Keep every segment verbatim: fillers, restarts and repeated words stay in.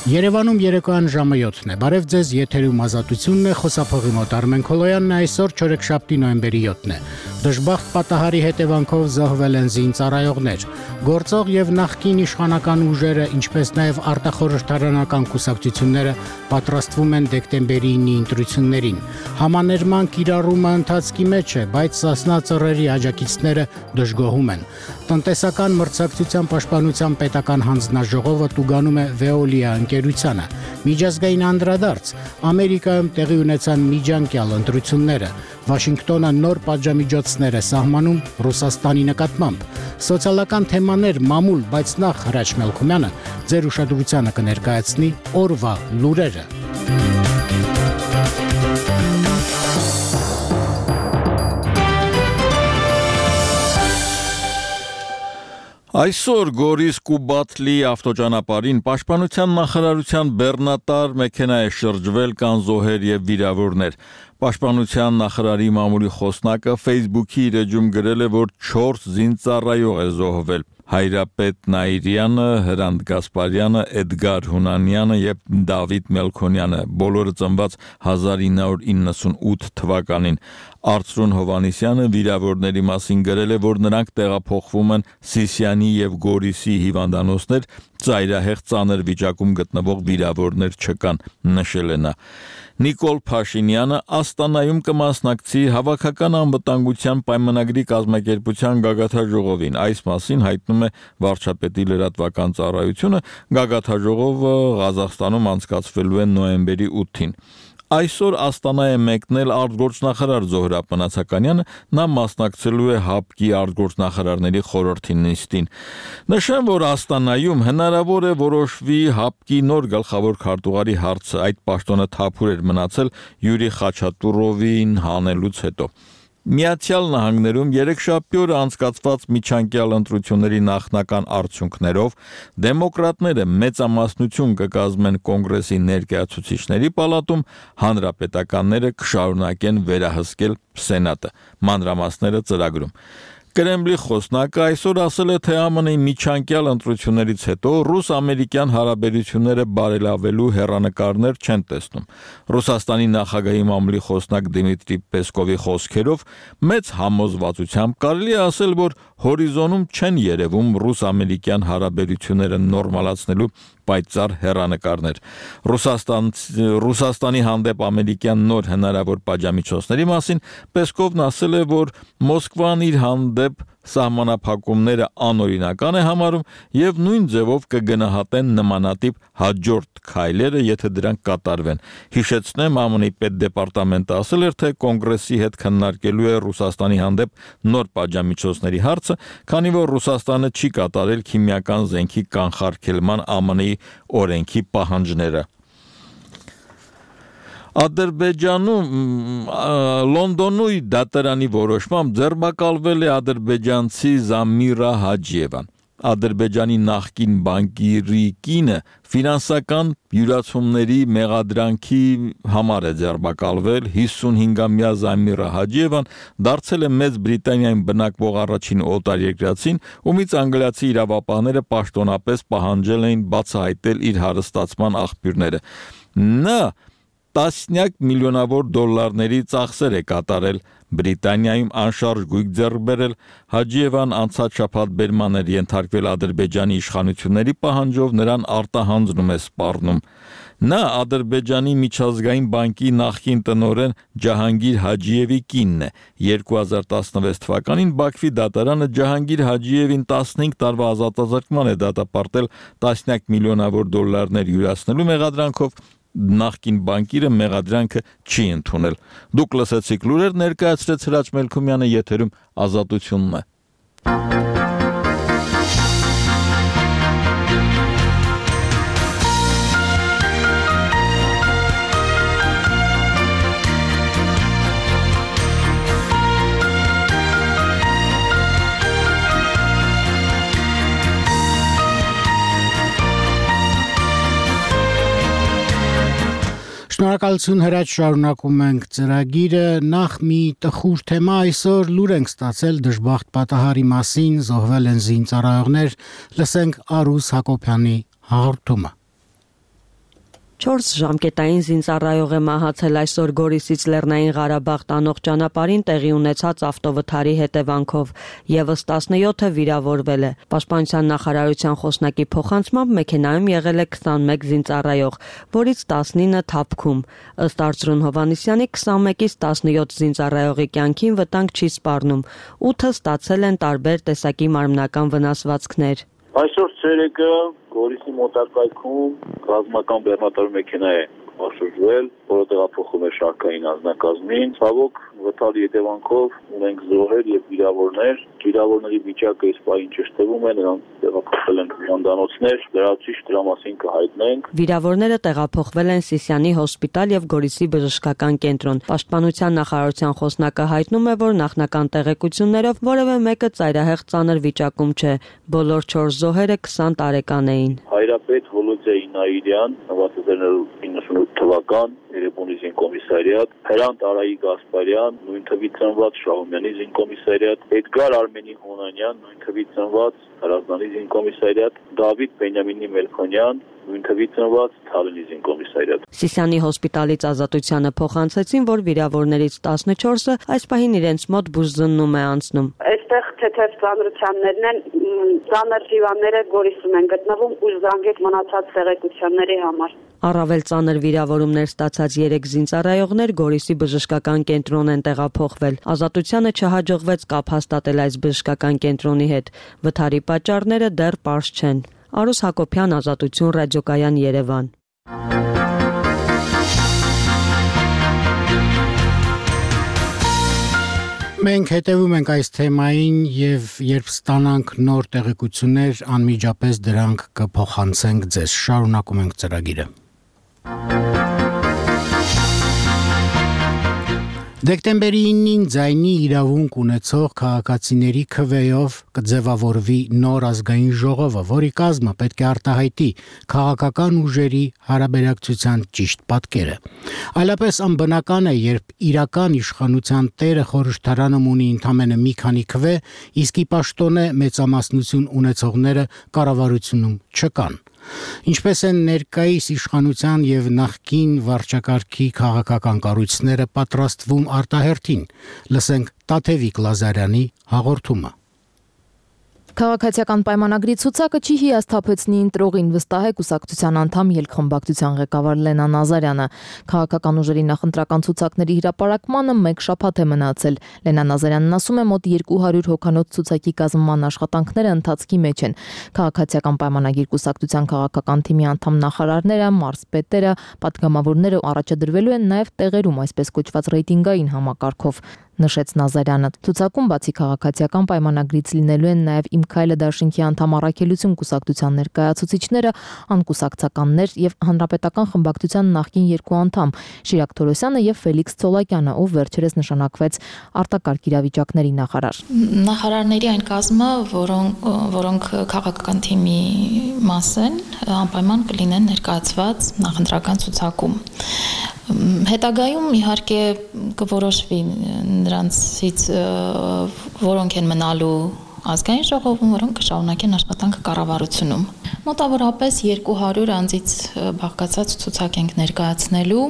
Երևանում երեկոյան ժամը յոթն է, բարև ձեզ եթերում ազատությունն է, խոսափողի մոտ Արմեն Քոլոյանն է, այսօր չորեքշաբթի նոյեմբերի յոթն է։ Դժբախտ պատահարի հետևանքով զոհվել են զինծառայողներ, գործող եւ նախկին իշխանական ուժերը, ինչպես նաեւ արտախորհրդարանական կուսակցությունները պատրաստվում են դեկտեմբերի ինի ընտրություններին։ Համաներման կիրառումը ընթացքի մեջ է, բայց Սասնա ծռերի աջակիցները դժգոհում են։ Տնտեսական մրցակցության պաշտպանության պետական հանձնաժողովը տուգանում է Veolia ընկերությանը։ Միջազգային անդրադարձ Ամերիկայում տեղի ունեցան միջանկյալ ընտրությունները։ Վաշինգտոնը նոր պատժամիջոցներ է սահմանում Ռուսաստանի նկատմամբ։ Սոցիալական թեմաներ մամուլ, բայց նախ Հրաչ Մելքումյանը ձեր ուշադրությանը կներկայացնի օրվա լուրերը։ Այսօր Գորիս Կուբատլի ավտոճանապարհին պաշտպանության նախարարության բեռնատար մեքենա է շրջվել կան զոհեր եւ վիրավորներ։ Պաշտպանության նախարարի մամուլի խոսնակը Facebook-ի իր էջում գրել է, որ չորս զինծառայող է զոհվել։ Հայրապետ Նայիրյանը, Հրանտ Գասպարյանը, Էդգար Հունանյանը եւ Դավիթ Մելքոնյանը, բոլորը ծնված հազար ինը հարյուր իննսունութ թվականին։ Արծրուն Հովանեսյանը վիրավորների մասին գրել է, որ նրանք տեղափոխվում են Սիսիանի եւ Գորիսի հիվանդանոցներ, ծայրահեղ ծանր վիճակում գտնվող վիրավորներ չկան, նշել է նա։ Նիկոլ Փաշինյանը Աստանայում կմասնակցի հավաքական անվտանգության պայմանագրի կազմակերպության գագաթաժողովին։ Այս մասին հայտնում է վարչապետի լրատվական ծառայությունը, գագաթաժողովը Ղազախստանում անցկացվելու է նոյեմբերի ութին։ Այսօր Աստանա է մեկնել արտգործնախարար Զոհրաբ Մնացականյանը, նա մասնակցելու է ՀԱՊԿ-ի արտգործնախարարների խորհրդի նիստին։ Նշեմ, որ Աստանայում հնարավոր է որոշվի ՀԱՊԿ-ի նոր գլխավոր քարտուղարի հարցը, այդ պաշտոնը թափուր էր մնացել Յուրի Խաչատուրովին հանելուց հետո։ Միացյալ Նահանգներում երեքշաբթի օրը անցկացված միջանկյալ ընտրությունների նախնական արդյունքներով դեմոկրատները մեծամասնություն կկազմեն կոնգրեսի ներկայացուցիչների պալատում, հանրապետականները կշարունակեն վերահսկել Սենատը։ Մանրամասները ծրագրում։ Կրեմլի խոսնակը այսօր ասել է, թե ԱՄՆ-ի միջանկյալ ընտրություններից հետո ռուս-ամերիկյան հարաբերությունները բարելավելու հեռանկարներ չեն տեսնում։ Ռուսաստանի նախագահի մամուլի խոսնակ Դիմիտրի Պեսկովի խոսքերով մեծ համոզվածությամբ կարելի է ասել, որ հորիզոնում չեն երևում ռուս-ամերիկյան հարաբերությունները նորմալացնելու պայծառ հեռանկարներ։ Ռուսաստան, Ռուսաստանի հանդեպ ամերիկյան նոր հնարավոր պատժամիջոցների մասին Պեսկովն ասել է, որ Մոսկվան իր հանդեպ սահմանափակումները անօրինական է համարում եւ նույն ձևով կգնահատեն նմանատիպ հաջորդ քայլերը, եթե դրանք կատարվեն։ Հիշեցնեմ, ԱՄՆ-ի պետդեպարտամենտը ասել էր, թե կոնգրեսի հետ քննարկելու է Ռուսաստանի հանդեպ նոր պատժամիջոցների հարցը, քանի որ Ռուսաստանը չի կատարել քիմիական զենքի կանխարգելման ԱՄՆ-ի օրենքի պահանջները։ Ադրբեջանում Լոնդոնի դատարանի որոշմամբ ձերբակալվել է ադրբեջանցի Զամիրա Հաջիևան։ Ադրբեջանի նախկին բանկիրի կինը ֆինանսական յուրացումների մեղադրանքի համար է ձերբակալվել։ հիսունհինգամյա Զամիրա Հաջիևան դարձել է Մեծ Բրիտանիայում բնակվող առաջին օտարերկրացին, ումից անգլիացի իրավապահները պաշտոնապես պահանջել էին բացահայտել իր հարստացման աղբյուրները։ Նա տասնյակ միլիոնավոր դոլարների ծախսեր է կատարել Բրիտանիայում անշարժ գույք ձեռք բերել։ Հաջիևան անցած շաբաթ բերման էր ենթարկվել Ադրբեջանի իշխանությունների պահանջով, նրան արտահանձնում է սպառնում։ Նա Ադրբեջանի միջազգային բանկի նախկին տնօրեն Ջահանգիր Հաջիևի կինն է։ երկու հազար տասնվեց թվականին Բաքվի դատարանը Ջահանգիր Հաջիևին տասնհինգ տարվա ազատազրկման է դատապարտել տասնյակ միլիոնավոր դոլարներ յուրացնելու մեղադրանքով։ Նախկին բանկիրը մեղադրանքը չի ընդունել։ Դուք լսեցիք լուրեր, ներկայացրեց Հրաչ Մելքումյանը, եթերում ազատությունն է։ Շնորհակալություն Հրաչ, շարունակում ենք ծրագիրը, նախ մի տխուր թեմա, այսօր լուր ենք ստացել դժբախտ պատահարի մասին, զոհվել են զինծառայողներ, լսենք Արուս Հակոբյանի հաղորդումը։ Չորս ժամկետային զինծառայող է մահացել այսօր Գորիսից Լեռնային Ղարաբաղ տանող ճանապարհին տեղի ունեցած ավտովթարի հետևանքով, եւս տասնյոթը վիրավորվել է։ Պաշտպանության նախարարության խոսնակի փոխանցմամբ մեքենայում եղել է քսանմեկ զինծառայող, որից տասնինը թափքում։ Ըստ Արծրուն Հովհաննիսյանի քսանմեկից տասնյոթ զինծառայողի կյանքին վտանգ չի սպառնում, ութը ստացել են տարբեր տեսակի մարմնական վնասվածքներ։ Այսօր ցերեկը Գորիսի մոտակայքում ռազմական բեռնատար մեքենա է շրջվել, որը տեղափոխում է շարքային անձնակազմին։ Ցավոք, վթարի հետևանքով ունենք զոհեր եւ վիրավորներ։ Վիրավորների վիճակը այս պահին ճշտվում է, նրանք տեղափոխվել են հիվանդանոցներ, լրացուցիչ դրա մասին կհայտնենք։ Վիրավորները տեղափոխվել են Սիսիանի հոսպիտալ եւ Գորիսի բժշկական կենտրոն։ Պաշտպանության նախարարության խոսնակը հայտնում է, որ նախնական տեղեկություններով որևէ մեկը ծայրահեղ ծանր վիճակում չէ։ Բոլոր չորս զոհերը քսան տարեկան էին։ Հայրապետ Վոլոդիա Ինայիրյան, նվազագնալ թվական Երևանի զինկոմիսարիատ, Հրանտ Արայի Գասպարյան, նույն թվի ծնված Շահումյանի զինկոմիսարիատ, Էդգար Արմենի Հոնանյան, նույն թվի ծնված Հրազդանի զինկոմիսարիատ, Դավիթ Բենյամինի Մելքոնյան, նույն թվի ծնված Թալենի զինկոմիսարիատ։ Սիսիանի հոսպիտալից Ազատությանը փոխանցեցին, որ վիրավորներից տասնչորսը այս պահին իրենց մոտ բուժզննում է անցնում։ Այստեղ թեթև ծանրությաններն են, ծանր հիվանդները Գորիսում են գտնվում ու զանգեք մնացած տեղեկությունների համար։ Առավել ծանր վիրավորումներ ստացած երեք զինծառայողներ Գորիսի բժշկական կենտրոն են տեղափոխվել։ Ազատությանը չհաջողվեց կապ հաստատել այս բժշկական կենտրոնի հետ։ Վթարի պատճառները դեռ պարզ չեն։ Արուս Հակոբյան, Ազատություն, Ռադիոկայան, Երևան։ Մենք հետևում ենք այս թեմային եւ երբ ստանանք նոր տեղեկություններ, անմիջապես դրանք կփոխանցենք ձեզ։ Շարունակում ենք ծրագիրը։ Դեկտեմբերի իննին ձայնի իրավունք ունեցող քաղաքացիների քվեով կձևավորվի նոր ազգային ժողովը, որի կազմը պետք է արտահայտի քաղաքական ուժերի հարաբերակցության ճիշտ պատկերը։ Այլապես անբնական է, երբ իրական իշխանության տերը խորհրդարանում ունի ընդամենը մի քանի քվե, իսկ ի պաշտոնե մեծամասնություն ունեցողները կառավարությունում չկան։ Ինչպես են ներկայիս իշխանության եւ նախկին վարչակարգի քաղաքական կառույցները պատրաստվում արտահերթին, լսենք Տաթևիկ Լազարյանի հաղորդումը։ Քաղաքացիական պայմանագրի ցուցակը չի հիասթափեցնի ընտրողին, վստահ է կուսակցության անդամ ելքխմբակցության ղեկավար Լենա Նազարյանը։ Քաղաքական ուժերի նախընտրական ցուցակների հրապարակմանը մեկ շաբաթ է մնացել։ Լենա Նազարյանն ասում է, մոտ երկու հարյուր հոգանոց ցուցակի կազմման աշխատանքները ընթացքի մեջ են։ Քաղաքացիական պայմանագիր կուսակցության քաղաքական թիմի անդամ նախարարները, մարզպետերը, պատգամավորները առաջադրվելու են նաև տեղերում, այսպես կոչված ռեյտինգային համակարգով, նշեց Նազարյանը։ Ցուցակում բացի քաղաքացիական պայմանագրից լինելու են նաև Իմ քայլը դաշինքի անդամ Առաքելություն կուսակցության ներկայացուցիչները, անկուսակցականներ եւ հանրապետական խմբակցության նախկին երկու անդամ Շիրակ Թորոսյանը եւ Ֆելիքս Ցոլակյանը, ով վերջերս նշանակվեց արտակարգ իրավիճակների նախարար։ Նախարարների այն կազմը, որոնք որոնք քաղաքական թիմի մաս են, անպայման կլինեն ներկայացված նախընտրական ցուցակում։ Հետագայում իհարկե կորոշվի նրանցից որոնք են մնալու ազգային ժողովում, որոնք կշարունակեն աշխատանքը կառավարությունում։ Մոտավորապես երկու հարյուր անձից բաղկացած ցուցակ ենք ներկայացնելու։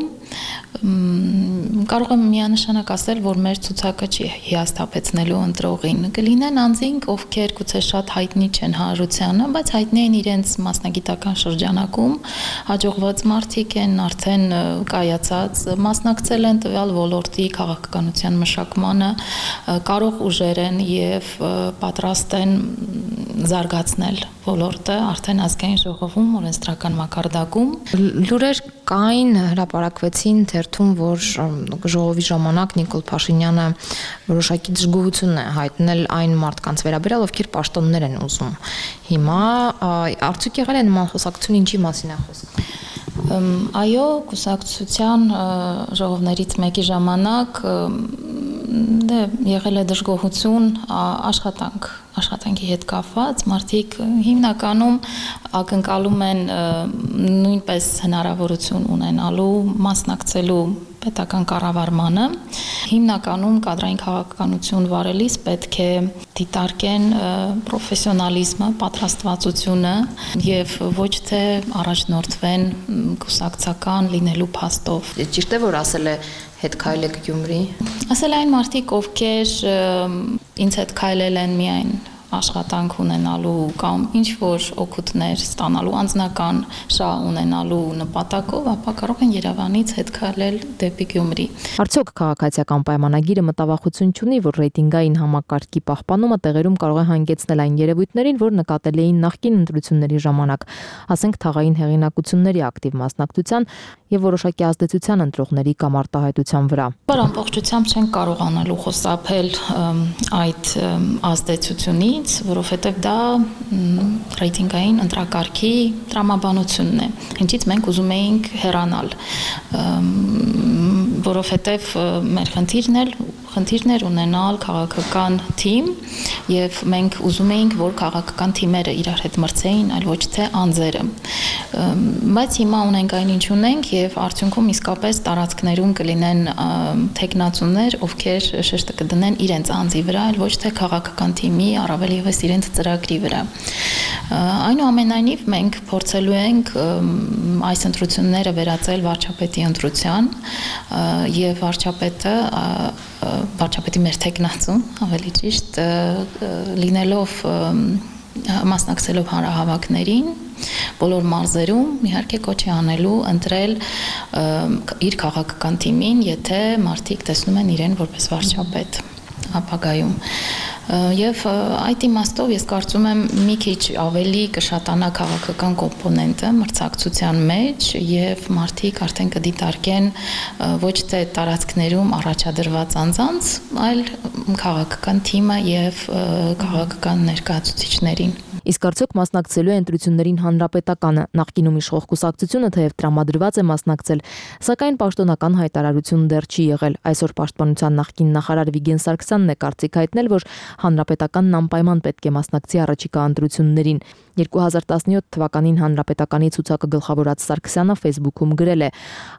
Կարող եմ միանշանակ ասել, որ մեր ցուցակը չի հիասթափեցնելու ընտրողին։ Կլինեն անձինք, ովքեր գուցե շատ հայտնի չեն հանրությանը, բայց հայտնի են իրենց մասնագիտական շրջանակում, հաջողված մարդիկ են, արդեն կայացած, մասնակցել են տվյալ ոլորտի քաղաքականության մշակմանը, կարող ուժեր են եւ պատրաստ են զարգացնել ոլորտը արդեն ազգային ժողովում, օրենսդրական մակարդակում։ Լուրեր կային, հրապարակվեցին թերթում, որ ժողովի ժամանակ Նիկոլ Փաշինյանը որոշակի դժգոհություն է հայտնել այն մարդկանց վերաբերյալ, ովքեր պաշտոններ են ուզում։ Հիմա արդյոք եղել է նման խոսակցություն, ինչի մասին է խոսքը։ Այո, կուսակցության ժողովներից մեկի ժամանակ դե եղել է դժգոհություն աշխատանք աշխատանքի հետ կապված, մարդիկ հիմնականում ակնկալում են նույնպես հնարավորություն ունենալու մասնակցելու պետական կառավարմանը հիմնականում կադրային քաղաքականություն վարելիս պետք է դիտարկեն պրոֆեսիոնալիզմը, պատրաստվածությունը եւ ոչ թե առաջնորդվեն կուսակցական լինելու փաստով։ Ճիշտ է, որ ասել է հետ քայլեք Գյումրի։ Ասել այն մարդիկ, ովքեր ինձ հետ քայլել են միայն աշխատանք ունենալու կամ ինչ-որ օգուտներ ստանալու անձնական շահ ունենալու նպատակով, ապա կարող են Երևանից հետ քայլել դեպի Գյումրի։ Արդյոք քաղաքացիական պայմանագիրը մտավախություն չունի, որ ռեյտինգային համակարգի պահպանումը տեղերում կարող է հանգեցնել այն երևույթներին, որ նկատելի էին նախկին ընտրությունների ժամանակ, ասենք թաղային հեղինակությունների ակտիվ մասնակցության եւ որոշակի ազդեցության ընտրողների կամ արտահայտության վրա։ Բայց ամբողջությամբ չեն կարողանալու խոսափել այդ ազդեցությունից, որովհետև դա ռեյտինգային ընտրակարգի տրամաբանությունն է, ինչից մենք ուզում էինք հեռանալ, որովհետև մեր խնդիրն էլ խնդիրն էր ունենալ քաղաքական թիմ եւ մենք ուզում էինք, որ քաղաքական թիմերը իրար հետ մրցեին, այլ ոչ թե անձերը։ Բայց հիմա ունենք այն ինչ ունենք եւ արդյունքում իսկապես տարածքներում կլինեն տեխնացուներ, ովքեր շեշտը կդնեն իրենց անձի վրա, այլ ոչ թե քաղաքական թիմի, առավել եւս իրենց ծրագրի վրա։ Այնուամենայնիվ մենք փորձելու ենք այս ընտրությունները վերածել վարչապետի ընտրության եւ վարչապետը վարչապետի մեր տեխնացուն, ավելի ճիշտ, լինելով մասնակցելով հանրահավաքներին, բոլոր մարզերում իհարկե կոչ է անելու ընտրել իր քաղաքական թիմին, եթե մարդիկ տեսնում են իրեն որպես վարչապետ ապագայում։ Եվ այդ իմաստով ես կարծում եմ մի քիչ ավելի կշատանա քաղաքական կոմպոնենտը մրցակցության մեջ եւ մարդիկ արդեն կդիտարկեն ոչ թե տարածքներում առաջադրված անձանց, այլ քաղաքական թիմը եւ քաղաքական ներկայացուցիչներին։ Իսկ արդյոք մասնակցելու է ընտրություններին հանրապետականը, նախկինում իշխող կուսակցությունը թեև տրամադրված է մասնակցել, սակայն պաշտոնական հայտարարություն դեռ չի եղել։ Այսօր Պաշտպանության նախկին նախարար Վիգեն Սարգսյանն է կարծիք հայտնել, որ հանրապետականն անպայման պետք է մասնակցի առաջիկա ընտրություններին։ երկու հազար տասնյոթ թվականին հանրապետականի ցուցակը գլխավորած Սարգսյանը Facebook-ում գրել է.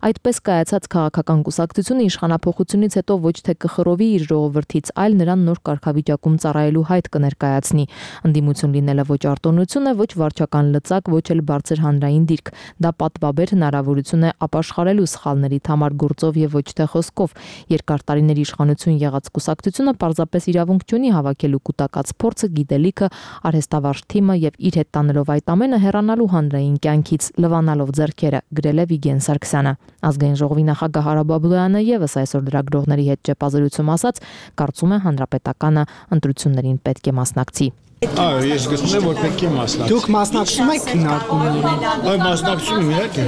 այդպես կայացած քաղաքական կուսակցությունը իշխանափոխությունից հետո ոչ թե կխռովի իր ժողովրդից, այլ նրան նոր կարգավիճակում ծառայելու հայտ կներկայացնի։ Ընդդիմություն լինելը ոչ արտոնություն է, ոչ վարչական լծակ, ոչ էլ բարձր հանրային դիրք։ Դա պատվաբեր հնարավորություն է ապաշխարելու սխալներից համար գործով եւ ոչ թե խոսքով։ Երկար տարիների իշխանություն եղած կուսակցությունը պարզապես իրավունք չունի հավաքելու կൂട്ടակած փորձը, գիտելիքը, արհեստավարժ թիմը եւ իր հետ տանելով այդ ամենը հեռանալու հանրային կյանքից, լվանալով ձեռքերը, գրել է Վիգեն Սարգսյանը։ Ազգային ժողովի նախագահ Արա Բաբլոյանը եւս այսօր լրագրողների հետ ճեպազրույցում ասաց, կարծում է հանրապետականը ընտրություններին պետք է մասնակցի։ Այո, ես գտնում եմ, որ պետք է մասնակցել։ Դուք մասնակցում եք քննարկումներին։ Այո, մասնակցում եմ, իհարկե։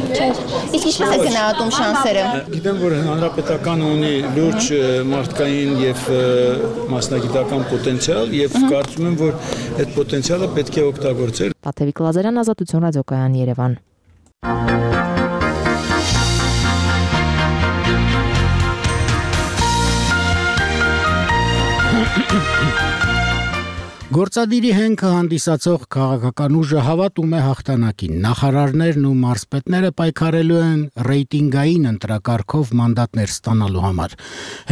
Իսկ ինչպես է գնահատում շանսերը։ Գիտեմ, որ հանրապետականը ունի լուրջ մարդկային եւ մասնագիտական պոտենցիալ եւ կարծում եմ, որ այդ պոտենցիալը պետք է օգտագործել։ Տաթևիկ Լազարյան, Ազատություն ռադիոկայան, Երևան։ Գործադիրի հենքը հանդիսացող քաղաքական ուժը հավատում է հաղթանակին։ Նախարարներն ու մարզպետները պայքարելու են ռեյտինգային ընտրակարգով մանդատներ ստանալու համար։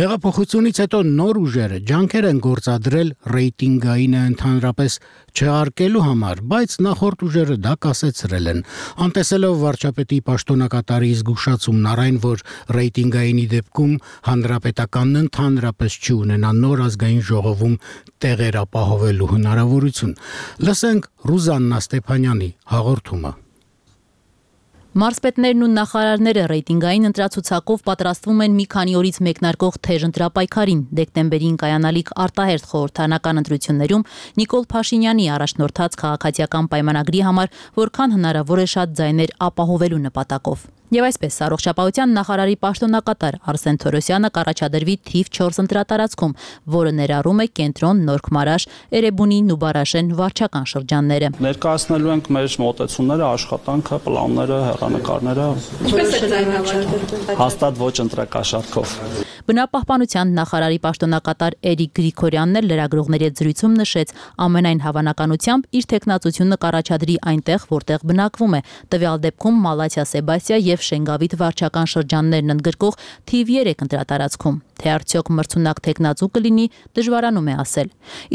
Հեղափոխությունից հետո նոր ուժերը ջանքեր են գործադրել ռեյտինգայինը ընդհանրապես չեղարկելու համար, բայց նախորդ ուժերը դա կասեցրել են։ Անտեսելով վարչապետի պաշտոնակատարի զգուշացումն առայն, որ ռեյտինգայինի դեպքում հանրապետականն ընդհանրապես չի ունենա նոր ազգային ժողովում տեղեր ապահովելու հնարավորություն։ Լսենք Ռուզաննա Ստեփանյանի հաղորդումը։ Մարզպետներն ու նախարարները ռեյտինգային ընտրացուցակով պատրաստվում են մի քանի օրից մեկնարկող թեժ ընտրապայքարին։ Դեկտեմբերին կայանալիք արտահերթ խորհրդարանական ընտրություններում Նիկոլ Փաշինյանի առաջնորդած քաղաքացիական պայմանագրի համար որքան հնարավոր է շատ ձայներ ապահովելու նպատակով։ Եվ այսպես առողջապահության նախարարի պաշտոնակատար Արսեն Թորոսյանը կառաջադրվի թիվ չորս ընտրատարածքում, որը ներառում է Կենտրոն, Նորք-Մարաշ, Էրեբունի, Նուբարաշեն վարչական շրջանները։ Ներկայացնելու ենք մեր մոտեցումները, աշխատանքը, պլանները, հեռանկարները։ Հաստատ ոչ ընտրակաշարքով։ Բնապահպանության նախարարի պաշտոնակատար Էրիկ Գրիգորյանն էլ լրագրողների հետ զրույցում նշեց, ամենայն հավանականությամբ իր տեխնացությունը կառաջադրի այնտեղ, որտեղ բնակվում է, տվյալ դեպքում Մալաթիա Սեբաստիա եւ Շենգավիթ վարչական շրջաններն ընդգրկող թիվ երեք ընտրատարածքում, թե արդյոք մրցունակ տեխնացու կլինի, դժվարանում է ասել։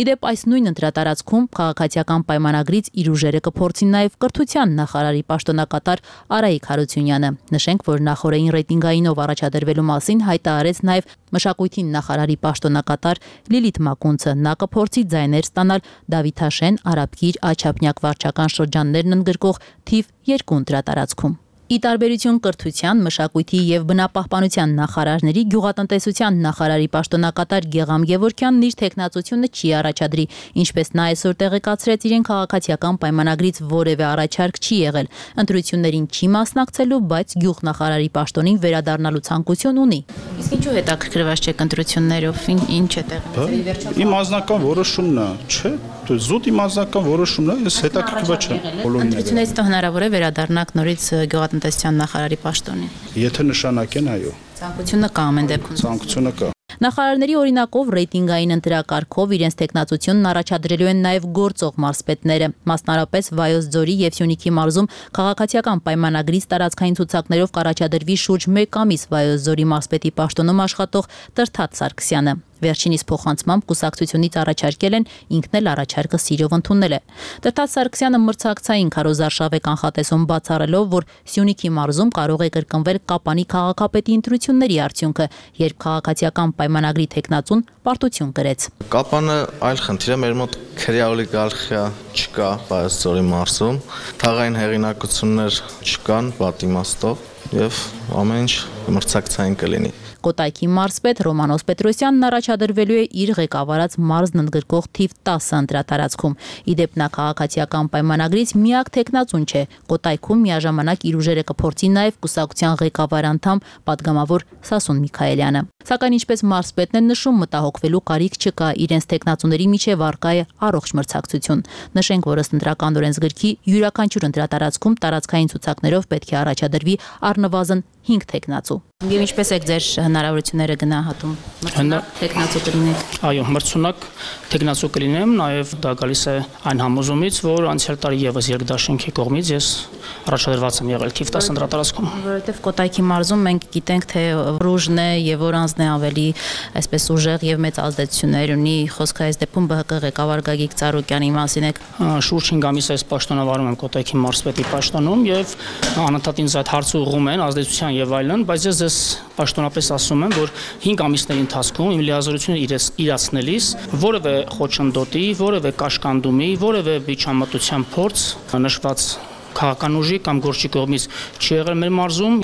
Իդեպ այս նույն ընտրատարածքում քաղաքացիական պայմանագրից իր ուժերը կփորձի նաև կրթության նախարարի պաշտոնակատար Արայիկ Հարությունյանը։ Նշենք, որ նախորդային ռեյտինգայինով առաջադրվելու մասին հայտարարեց նաև մշակույթի նախարարի պաշտոնակատար Լիլիթ Մակունցը։ Նա կփորձի ձայներ ստանալ Դավիթաշեն, Արաբկիր, Աչափնյակ վարչական շրջաններն ընդգրկող թիվ երկու ընտրատարածքում։ Ի տարբերություն կրթության, մշակույթի եւ բնապահպանության նախարարների, գյուղատնտեսության նախարարի պաշտոնակատար Գեգամ Գևորգյանն իր տեխնացությունը չի առաջադրի, ինչպես նա այսօր տեղեկացրեց, իրեն քաղաքացիական պայմանագրից որևէ առաջարկ չի եղել, ընտրություններին չի մասնակցելու, բայց գյուղնախարարի պաշտոնին վերադառնալու ցանկություն ունի։ Իսկ ինչու հետաքրքրված չեք ընտրություններով, ինչ է տեղի։ Իմ անձնական որոշումն է, չէ՞, զուտ իմ անձնական որոշումն է, ես հետաքրքրված չեմ։ Ընտրությունից հետո հնարավոր է վերադառնալ նորից գյուղատնտեսության նախարարի պաշտոնին։ Եթե նշանակեն, այո։ Ցանկությունը կա ամեն դեպքում։ Ցանկությունը կա։ Նախարարների օրինակով ռեյտինգային ընտրակարգով իրենց տեխնացությունն առաջադրելու են նաև գործող մարզպետները, մասնարարպես Վայոց ձորի եւ Սյունիքի մարզում քաղաքացիական պայմանագրից տարածքային ցուցակներով կառաջադրվի շուրջ մեկ ամիս Վայոց ձորի մարզպետի պաշտոնում աշխատող Տրթատ Սարգսյանը։ Վերջինիս փոխանցմամբ կուսակցությունից առաջարկել են, ինքն էլ առաջարկը սիրով ընդունել է։ Տրթատ Սարգսյանը մրցակցային քարոզարշավ է կանխատեսում բացառելով, որ Սյունիքի մարզում կարող է կրկնվել Կապանի քաղաքապետի ընտրությունների արդյունքը, երբ քաղաքացիական պայմանագրի տեխնացուն պարտություն կրեց։ Կապանը այլ խնդիր է, մեր մոտ քրեոլիգարխիա չկա Վայոց ձորի մարզում, թաղային հեղինակություններ չկան պատիմաստով եւ ամեն ինչ մրցակցային կլինի։ Կոտայքի մարզպետ Ռոմանոս Պետրոսյանն առաջադրվելու է իր ղեկավարած մարզն ընդգրկող թիվ տասը ընտրատարածքում։ Իդեպ նա քաղաքացիական պայմանագրից միակ տեխնացուն չէ։ Կոտայքում միաժամանակ իր ուժերը կփորձի նաև կուսակցության ղեկավար անդամ պատգամավոր Սասուն Միքայելյանը։ Սակայն ինչպես մարզպետն է նշում, մտահոգվելու կարիք չկա, իրենց տեխնացուների միջև առկա է առողջ մրցակցություն։ Նշենք, որ ըստ ընտրական օրենսգրքի յուրաքանչյուր ընտրատարածքում տարածքային ցուցակներով պետք է առաջադրվի առնվազն հինգ տեխնացու։ Եվ ինչպես եք ձեր հնարավորությունները գնահատում մրցունակ տեխնացու կլինեք։ Այո, մրցունակ տեխնացու կլինեմ, նաև դա գալիս է այն համոզումից, որ անցյալ տարի եւս երկդաշինքի կողմից ես առաջադրված եմ եղել թիվ տասը ընտրատարածքում։ Որովհետև Կոտայքի մարզում մենք գիտենք, թե ռուժն է եւ օրանձն է ավելի այսպես ուժեղ եւ մեծ ազդեցություններ ունի։ Խոսքը այս դեպքում ԲՀԿ ղեկավար Գագիկ Ծառուկյանի մասին է։ Շուրջ հինգ ամիս այս պաշտոնավարում եմ Կոտայքի մարզպետի պաշտոնում եւ անընդհատ ինձ այդ հարցը ուղղում են ազդեցության եւ այլն, բայց ես ես պաշտոնապես ասում եմ, որ հինգ ամիսների ընթացքում իմ լիազորությունը իրացնելիս որևէ խոչընդոտի, որևէ կաշկանդումի, որևէ միջամտության փորձ նշված քաղաքական ուժի կամ գործի կողմից չի եղել մեր մարզում։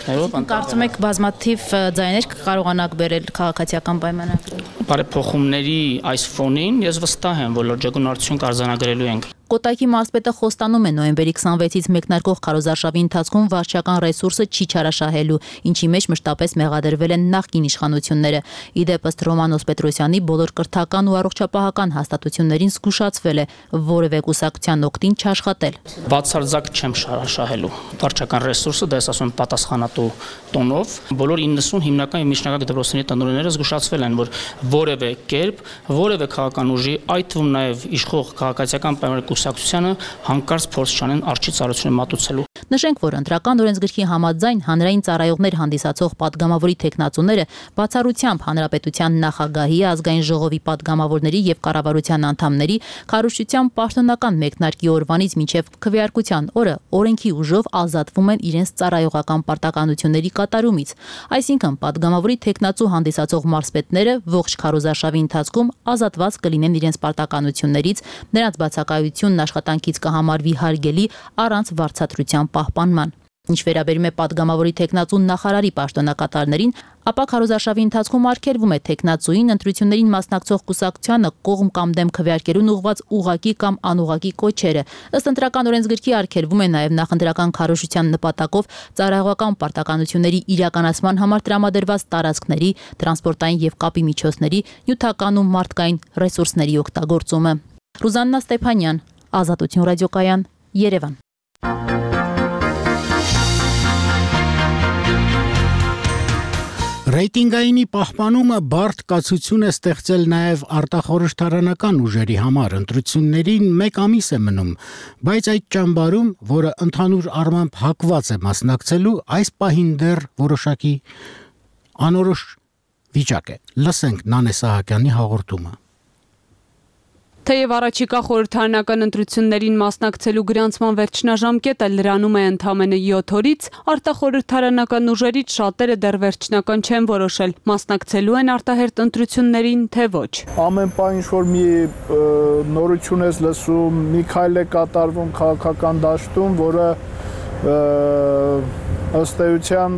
Կարծում եք բազմաթիվ ձայներ կկարողանաք բերել քաղաքացիական պայմանագրի։ Բարեփոխումների այս ֆոնին ես վստահ եմ, որ լրջագույն արդյունք արձանագրելու ենք։ Կոտայքի մարզպետը խոստանում է նոյեմբերի քսանվեցից մեկնարկող քարոզարշավի ընթացքում վարչական ռեսուրսը չի չարաշահելու, ինչի մեջ մշտապես մեղադրվել են նախկին իշխանությունները։ Իդեպ ըստ Ռոմանոս Պետրոսյանի բոլոր կրթական ու առողջապահական հաստատություններին զգուշացվել է որևէ կուսակցության օգտին չաշխատել։ Բացարձակ չեմ շարաշահելու վարչական ռեսուրսը, դա ես ասում եմ պատասխանատու տոնով։ Բոլոր իննսուն հիմնական եւ միջնակարգ դպրոցների տնօրենները զգուշացվել են, որ որևէ կերպ, որևէ քաղաքական ուժի, այդ թվում նաեւ իշխող քաղաքացիական պայմանագրի կուսակցությանը հանկարծ փորձ չանեն արժի ծառայությունը մատուցելու։ Նշենք, որ ընտրական օրենսգրքի համաձայն հանրային ծառայողներ հանդիսացող падգամավորի տեխնացուները բացառությամբ հանրապետության նախագահի, ազգային ժողովի падգամավորների եւ կառավարության անդամների քարոզչության պաշտոնական մեկնարկի օրվանից մինչեւ քվեարկության օրը օրենքի ուժով ազատվում են իրենց ծառայողական պարտականությունների կատարումից։ Այսինքն падգամավորի տեխնացու հանդիսացող մարզպետները ողջ քարոզարշավի ընթացքում ազատված կլինեն իրենց պարտականություններից, նրանց բացակայությունն աշխատանքից կհամարվի հարգելի առանց վարձատրության պահպանման։ Ինչ վերաբերում է падգամավորի տեխնացու նախարարի պաշտոնակատարներին, ապա քարոզարշավի ընթացքում արգելվում է տեխնացուին ընտրություններին մասնակցող կուսակցությանը կողմ կամ դեմ քվեարկելուն ուղղված ուղղակի կամ անուղղակի կոչերը։ Ըստ ընտրական օրենսգրքի արգելվում է նաև նախընտրական քարոզչության նպատակով ծառայողական պարտականությունների իրականացման համար տրամադրված տարածքների, տրանսպորտային եւ կապի միջոցների, նյութական ու մարդկային ռեսուրսների օգտագործումը։ Ռուզաննա Ստեփանյան, Ազատություն ռադիոկայան, Երևան։ Ռեյտինգայինի պահպանումը բարդ կացություն է ստեղծել նաև արտախորհրդարանական ուժերի համար, ընտրություններին մեկ ամիս է մնում, բայց այդ ճամբարում, որը ընդհանուր առմամբ հակված է մասնակցելու, այս պահին դեռ որոշակի անորոշ վիճակ է։ Լսենք Նանե Սահակյանի հաղորդումը։ Թեև առաջիկա խորհրդարանական ընտրություններին մասնակցելու գրանցման վերջնաժամկետը լրանում է ընդամենը յոթ օրից, արտախորհրդարանական ուժերից շատերը դեռ վերջնական չեն որոշել, մասնակցելու են արտահերթ ընտրություններին, թե ոչ։ Ամեն պահ ինչ-որ մի նորություն ես լսում, մի քայլ է կատարվում քաղաքական դաշտում, որը ըստ էության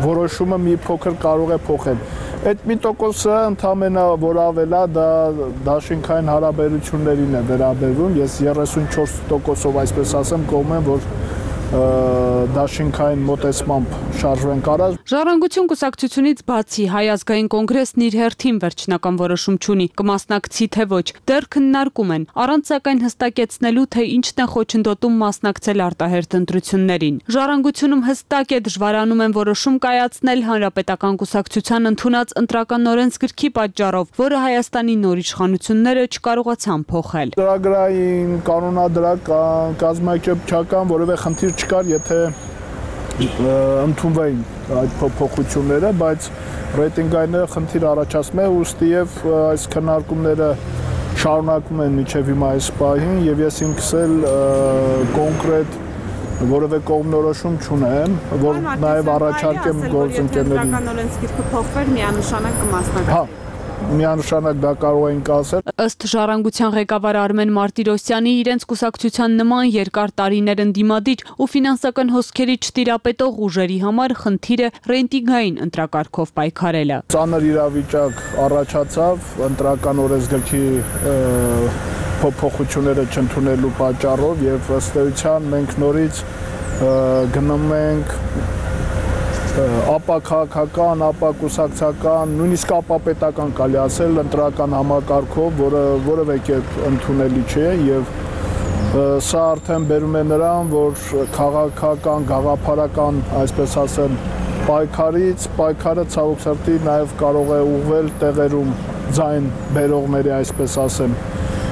որոշումը մի փոքր կարող է փոխել։ Այդ մի տոկոսը ընդամենը որ ավելա դա դաշինքային հարաբերություններին է վերաբերվում, ես երեսունչորս տոկոսով այսպես ասեմ կողմ եմ, որ դաշինքային մոտեցմամբ շարժվենք առած։ Ժառանգություն կուսակցությունից բացի Հայ ազգային կոնգրեսն իր հերթին վերջնական որոշում չունի, կմասնակցի թե ոչ, դեռ քննարկում են, առանց սակայն հստակեցնելու, թե ինչն է խոչընդոտում մասնակցել արտահերթ ընտրություններին։ Ժառանգությունում հստակ է դժվարանում են որոշում կայացնել Հանրապետական կուսակցության ընդունած ընտրական օրենսգրքի պատճառով, որը Հայաստանի նոր իշխանությունները չկարողացան փոխել։ Ծրագրային, կանոնադրական, կազմակերպչական որևէ խնդիր չկար, եթե ընդունվեին այդ փոփոխությունները, բայց ռեյտինգայինները խնդիր առաջացնում է, ուստի եւ այս քննարկումները շարունակվում են մինչեւ հիմա այս պահին եւ ես ինքս էլ կոնկրետ որևէ կողմնորոշում չունեմ, որ նաեւ առաջարկեմ գործընկերներին։ Ընտրական օրենսգիրքը փոխվեր, միանշանակ կմասնակցի։ Միանշանակ դա կարող ենք ասել։ Ըստ Ժառանգության ղեկավար Արմեն Մարտիրոսյանի, իրենց կուսակցության նման երկար տարիներ ընդդիմադիր ու ֆինանսական հոսքերի չտիրապետող ուժերի համար խնդիրը ռեյտինգային ընտրակարգով պայքարելը։ Ծանր իրավիճակ առաջացավ ընտրական օրենսգրքի փոփոխությունները չընդունելու պատճառով եւ ըստ էության մենք նորից գնում ենք ապա քաղաքական, ապա կուսակցական, նույնիսկ ապա պետական կարելի ասել ընտրական համակարգով, որը որևէ կերպ ընդունելի չէ եւ սա արդեն բերում է նրան, որ քաղաքական, գաղափարական, այսպես ասեմ, պայքարից, պայքարը ցավոք սրտի նաեւ կարող է ուղղվել տեղերում ձայն բերողների, այսպես ասեմ,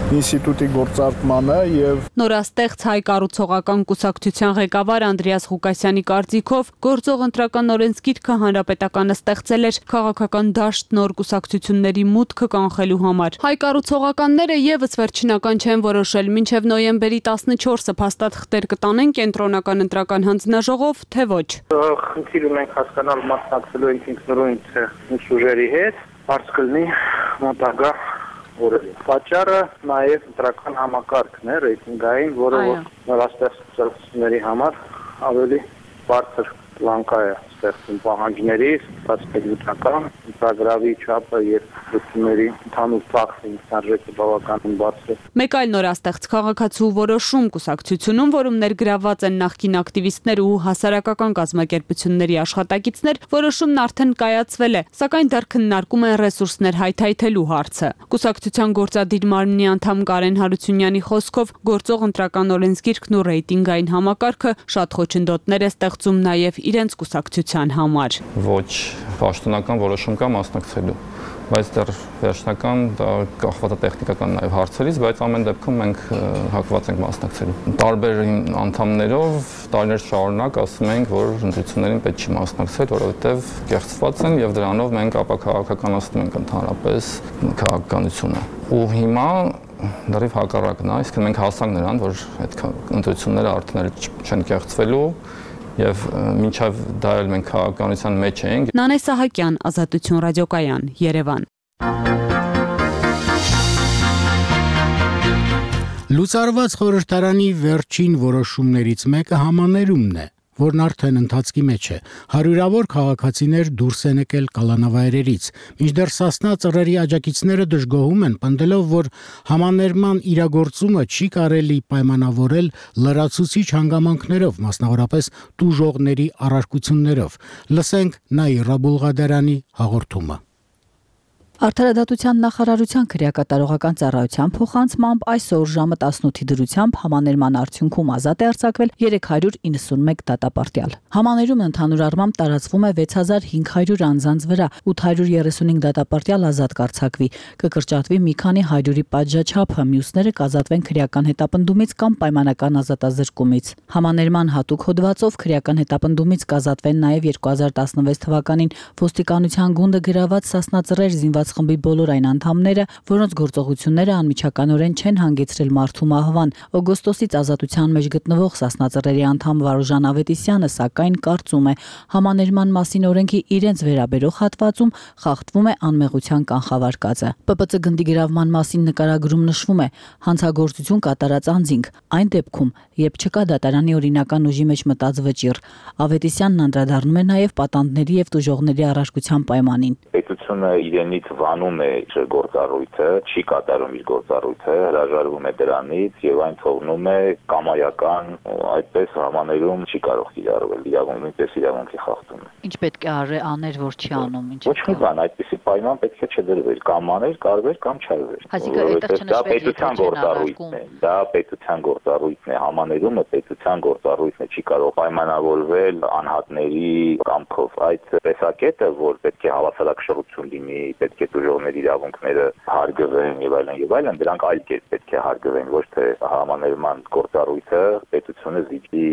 ինստիտուտի գործարկմանը եւ նորաստեղծ հայ կառուցողական կուսակցության ղեկավար Անդրեաս Ղուկասյանի կարծիքով գործող ընտրական օրենսգիրքը հանրապետականը ստեղծել էր քաղաքական դաշտ նոր կուսակցությունների մուտքը կանխելու համար։ Հայ կառուցողականները եւս վերջնական չեն որոշել, մինչեւ նոյեմբերի տասնչորսը փաստաթղթեր կտանեն կենտրոնական ընտրական հանձնաժողով, թե ոչ։ Խնդիր ունենք հասկանալ մասնակցելու ենք ինքնուրույն ինչ ուժերի հետ, հարց կլինի մոտակա օրերի։ Պատճառը նաև ընտրական համակարգն է ռեյտինգային, որը նորաստեղծությունների համար ավելի բարձր լանկա է ստեղծում պահանջների, ստացվելիության, ծրագրավի չափը եւ լուծումների ընդհանուր ծախսի արժեքը բավականին բարձր է։ Մեկ այլ նորաստեղծ քաղաքացու որոշում կուսակցությունում, որում ներգրավված են նախկին ակտիվիստներ ու հասարակական կազմակերպությունների աշխատակիցներ, որոշումն արդեն կայացվել է, սակայն դեռ քննարկում են ռեսուրսներ հայթայթելու հարցը։ Կուսակցության գործադիր մարմնի անդամ Կարեն Հարությունյանի խոսքով գործող ընտրական օրենսգիրքն ու ռեյտինգային համակարգը շատ խոչընդոտներ է ստեղծում նաև իրենց կուսակցության համար։ Ոչ պաշտոնական որոշում կա մասնակցելու, բայց դեռ վերջնական դա կախված է տեխնիկական նաև հարցերից, բայց ամեն դեպքում մենք հակված ենք մասնակցելու։ Տարբեր անդամներով տարիներ շարունակ ասում ենք, որ ընտրություններին պետք չի մասնակցել, որովհետև կեղծված են եւ դրանով մենք ապա քաղաքականացնում ենք ընդհանրապես քաղաքականությունը։ Ու հիմա դեռ հակառակն է, իսկ մենք հասանք նրան, որ այդ ընտրությունները արդեն չեն կեղծվելու եւ մինչեւ դա էլ մենք քաղաքականության մեջ ենք։ Նանե Սահակյան, Ազատություն ռադիոկայան, Երևան։ Լուծարված խորհրդարանի վերջին որոշումներից մեկը համաներումն է, որն արդեն ընթացքի մեջ է։ Հարյուրավոր քաղաքացիներ դուրս են եկել կալանավայրերից, մինչդեռ Սասնա ծռերի աջակիցները դժգոհում են, պնդելով, որ համաներման իրագործումը չի կարելի պայմանավորել լրացուցիչ հանգամանքներով, մասնավորապես տուժողների առարկություններով։ Լսենք Նաիրա Բուլղադարյանի հաղորդումը։ Արդարադատության նախարարության քրեակատարողական ծառայության փոխանցմամբ այսօր ժամը տասնութի դրությամբ համաներման արդյունքում ազատ է արձակվել երեք հարյուր իննսունմեկ դատապարտյալ։ Համաներումը ընդհանուր առմամբ տարածվում է վեց հազար հինգ հարյուր անձանց վրա, ութ հարյուր երեսունհինգ դատապարտյալ ազատ կարձակվի, կկրճատվի մի քանի հարյուրի պատժաչափը, մյուսները կազատվեն քրեական հետապնդումից կամ պայմանական ազատազրկումից։ Համաներման հատուկ հոդվածով քրեական հետապնդումից կազատվեն նաև երկու հազար տասնվեց թվականին ոստիկանության գունդը գրաված Սասնածռեր զինված խմբի բոլոր այն անդամները, որոնց գործողությունները անմիջականորեն չեն հանգեցրել մարդու մահվան։ Օգոստոսից ազատության մեջ գտնվող Սասնածռերի անդամ Վարուժան Ավետիսյանը սակայն կարծում է, համաներման մասին օրենքի իրենց վերաբերող հատվածում խախտվում է անմեղության կանխավարկածը։ Պ Պ Ծ գնդի գրավման մասին նկարագրում նշվում է հանցագործություն կատարած անձինք, այն դեպքում, երբ չկա դատարանի օրինական ուժի մեջ մտած վճիռ։ Ավետիսյանն անդրադառնում է նաև պատանդների եւ տուժողների առարկության պայմանին։ Պետությունը իրենից վանում է իր գործառույթը, չի կատարում իր գործառույթը, հրաժարվում է դրանից եւ այն թողնում է կամայական, այդպես համաներում չի կարող կիրառվել, իրավունքի պես իրավունքի խախտում է։ Ինչ պետք է աներ, որ չի անում, ինչ։ Ոչ մի բան, այդպեսի պայման պետք է չդրվեր, կամ աներ, կարվեր, կամ չարվեր։ Դա պետության գործառույթն է, դա պետության գործառույթն է, համաներումը պետության գործառույթն է, չի կարող պայմանավորվել անհատների կամքով։ Այդ տեսակետը, որ պետք է հավասարակշռություն լինի, պետք է տուժողների իրավունքները հարգվեն եւ այլն եւ այլն, դրանք այլ կերպ պետք է հարգվեն, ոչ թե համաներման գործառույթը պետությունը զիջի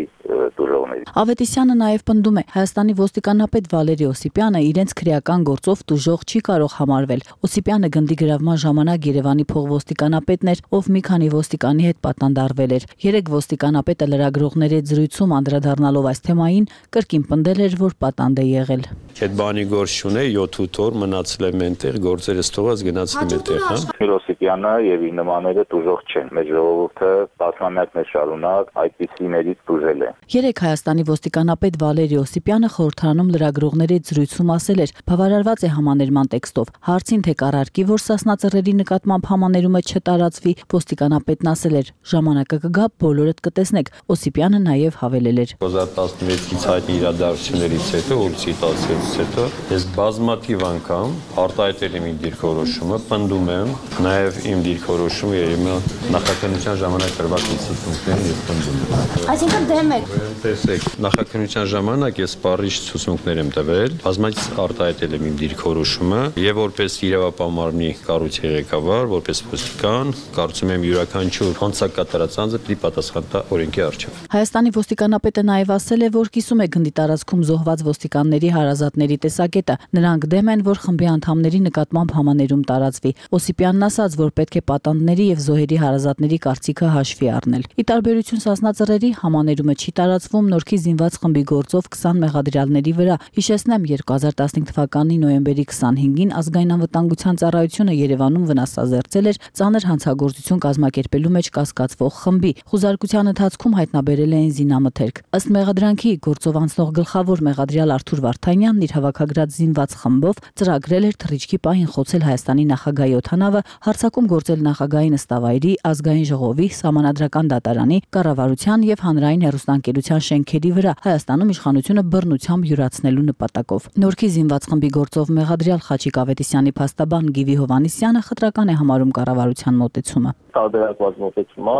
տուժողների։ Ավետիսյանը նաև պնդում է, Հայաստանի ոստիկանապետ Վալերի Օսիպյանը իրենց քրեական գործով տուժող չի կարող համարվել։ Օսիպյանը գնդի գրավման ժամանակ Երևանի փողոստիկանապետն էր, ով մի քանի ոստիկանի հետ պատանդարվել էր։ Երեք ոստիկանապետը լրագրողների հետ զրույցում անդրադառնալով այս թեմային կրկին պնդել էր, որ պատանդ է եղել։ Այդ բանի գործ չունե, յոթ-ութ օր մնացել եմ այնտեղ, գործերս թողած գնացել եմ այնտեղ, հա։ Օսիպյանը եւ իր նմանները տուժող չեն։ Մեր ժողովուրդը տասնամյակներ շարունակ այդպիսիներից տուժել է։ Երեք Հայաստանի ոստիկանապետ Վալերի Օսիպյանը խորհրդարանում լրագրողների հետ զրույցում ասել էր, բավարարված է համաներման տեքստով։ Հարցին թե կառարկի, որ Սասնածռերի նկատմամբ համաներումը չտարածվի, ոստիկանապետն ասել էր, ժամանակը կգա, բոլորդ կտեսնեք։ Օսիպյանը նաև հավելել էր. երկու հազար տասնվեցից հայտնի իրադարձություններից հետո, որից տասնվեցից հետո, ես բազմաթիվ անգամ արտահայտել եմ իմ դիրքորոշումը, պնդում եմ, նաև իմ դիրքորոշումը երևի նախաքննության ժամանակ տրված ցուցմունքներին եւ պնդում եմ։ Այսինքն դեմ եք։ Տեսեք, նախաքննության ժամանակ ես սպառիչ ցուցմունքներ եմ տվել, բազմաթիվ արտահայտել եմ իմ դիրքորոշումը եւ որպես իրավապահ մարմնի կառույցի ղեկավար, որպես ոստիկան, կարծում եմ յուրաքանչյուր հանցակատարած անձը պիտի պատասխան տա օրենքի առջև։ Հայաստանի ոստիկանապետը նաև ասել է, որ կիսում է գնդի տարածքում զոհված ոստիկանների հարազատների տեսակետը։ Նրանք դեմ են, որ խմբի անդամների նկատմամբ համաներում տարածվի։ Օսիպյանն ասաց, որ պետք է պատանդների եւ զոհերի հարազատների կարծիքը հաշվի առնել։ Ի տարբերություն Սասնածռերի համաներումը չի տարածվում Նորքի զինված խմբի գործով քսան մեղադրյալների վրա։ Հիշեցնեմ, երկու հազար տասնհինգ թվականի նոյեմբերի քսանհինգին ազգային անվտանգության ծառայությունը Երևանում վնասազերծել էր ծանր հանցագործություն կազմակերպելու մեջ կասկածվող խմբի։ Խուզարկության ընթացքում հայտնաբերել էին զինամթերք։ Ըստ մեղադրանքի գործով անցնող գլխավոր մեղադրյալ Արթուր Վարդանյանն իր հավաքագրած զինված խմբով ծրագրել էր թռիչքի պահին խոցել Հայաստանի նախագահի օդանավը, հարձակում գործել նախագահի նստավայրի, ազգային ժողովի, սահմանադրական դատարանի, կառավարության եւ հանրային հեռուստաընկերության շենքերի վրա Հայաստանում իշխանությունը բռնությամբ յուրացնելու նպատակով։ Նորքի զինված խմբի գործով մեղադրյալ Խաչիկ Ավետիսյանի փաստաբան Գիվի Հովհաննիսյանը խտրական է համարում կառավարության մոտեցումը։ Տարբերակված մոտեցումը,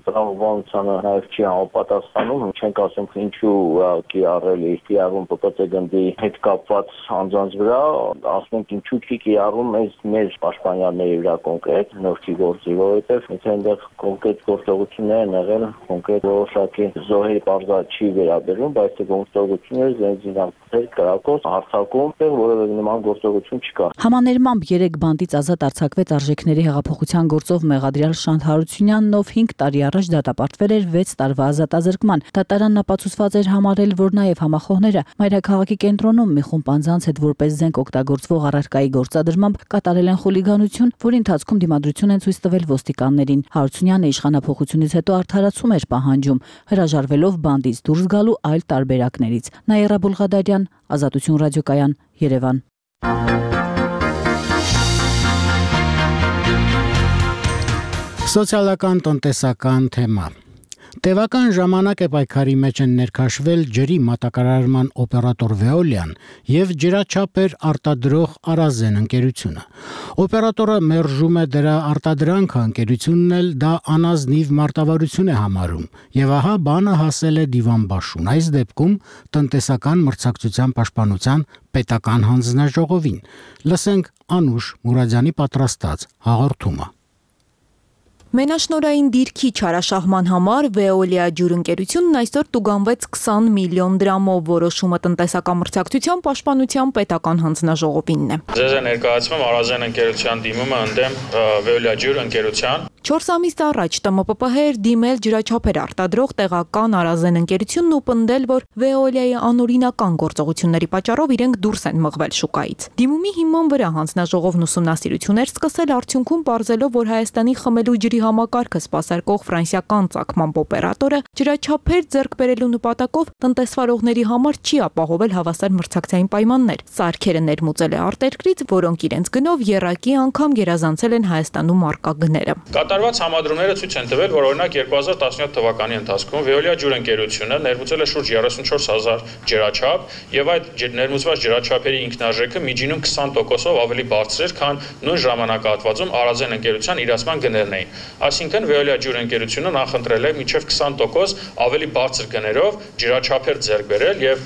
տրամաբանությանը նաև չի համապատասխանում, չենք ասում ինչու ուղղակի առել է կիրառում Պ Պ Ծ գնդի հետ կապված անձանց վրա, ասում ենք ինչու չի կիրառում այս մեր պաշտպանյանների վրա կոնկրետ նորքի գործի, որովհետև եթե այնտեղ կոնկրետ գործողություններ են եղել, կոնկրետ որոշակի զոհերի բարձր չի վերաբերում, բայց այդ գործողությունները զենզինամթերք, կրակոց, հարձակում, որևէ նման գործողություն չկա։ Համաներմամբ երեք բանդից ազատ արձակվեց արժեքների հեղափոխության գործով մեղադրյալ Շանթ Հարությունյանն, ով հինգ տարի առաջ դատապարտվել էր վեց տարվա ազատազրկման։ Դատարանն ապացուցված էր համարել, որ նաև համախոհները մայրաքաղաքի կենտրոնում մի խումբ անձանց հետ որպես զենք օգտագործվող առարկայի գործադրմամբ կատարել են խուլիգանություն, որի ընթացքում դիմադրություն են ցույց տվել ոստիկաններին։ Հարությունյանը իշխանափոխությունից հետո արդարացում էր պահանջում, հրաժարվելով բանդից դուրս գալու այլ տարբերակներից։ Նաիրա Բուլղադարյան, Ազատություն ռադիոկայան, Երևան։ Սոցիալական տնտեսական թեմա։ Տևական ժամանակ է պայքարի մեջ են ներքաշվել ջրի մատակարարման օպերատոր Veolia-ն եւ ջրաչափեր արտադրող Arazեն ընկերությունը։ Օպերատորը մերժում է դրա արտադրանքը, ընկերությունն էլ դա անազնիվ մարտավարություն է համարում։ Եվ ահա բանը հասել է դիվանբաշուն։ Այս դեպքում տնտեսական մրցակցության պաշտպանության պետական հանձնաժողովին։ Լսենք Անուշ Մուրադյանի պատրաստած հաղորդումը։ Մենաշնորային դիրքի չարաշահման համար Veolia ջուրընկերությունն այսօր տուգանվեց քսան միլիոն դրամով, որոշումը տնտեսական մրցակցության պաշտպանության պետական հանձնաժողովինն է։ Ձեզ է ներկայացնում Arazեն ընկերության դիմումը ընդդեմ Veolia ջուրընկերության։ չորս ամիս առաջ Տ M P P H էր դիմել ջրաչափեր արտադրող տեղական Arazեն ընկերությունն ու պնդել, որ Veolia-ի անօրինական գործողությունների պատճառով իրենք դուրս են մղվել շուկայից։ Դիմումի հիման վրա հանձնաժողովն ուսումնասիրություններ սկսել, արդյունքում պարզելով, որ Հայաստանի խմելու ջրի համակարգը սպասարկող ֆրանսիական ծագմամբ օպերատորը ջրաչափեր ձեռք բերելու նպատակով տնտեսվարողների համար չի ապահովել հավասար մրցակցային պայմաններ։ Սարքերը ներմուծել է արտերկրից, որոնք իրենց գնով եռակի անգամ գերազանցել են Հայաստանում առկա գները։ Կատարված համադրումները ցույց են տվել, որ օրինակ երկու հազար տասնյոթ թվականի ընթացքում Veolia ջուրընկերությունը ներմուծել է շուրջ երեսունչորս հազար ջրաչափ եւ այդ ներմուծված ջրաչափերի ինքնարժեքը միջինում քսան տոկոսով ավելի բարձր էր, քան նույն ժամանակահատվածում Arazեն ընկերության իրացման գներն էին։ Այսինքն Veolia ջուրընկերությունը նախընտրել է մինչև քսան տոկոս ավելի բարձր գներով ջրաչափեր ձեռք բերել եւ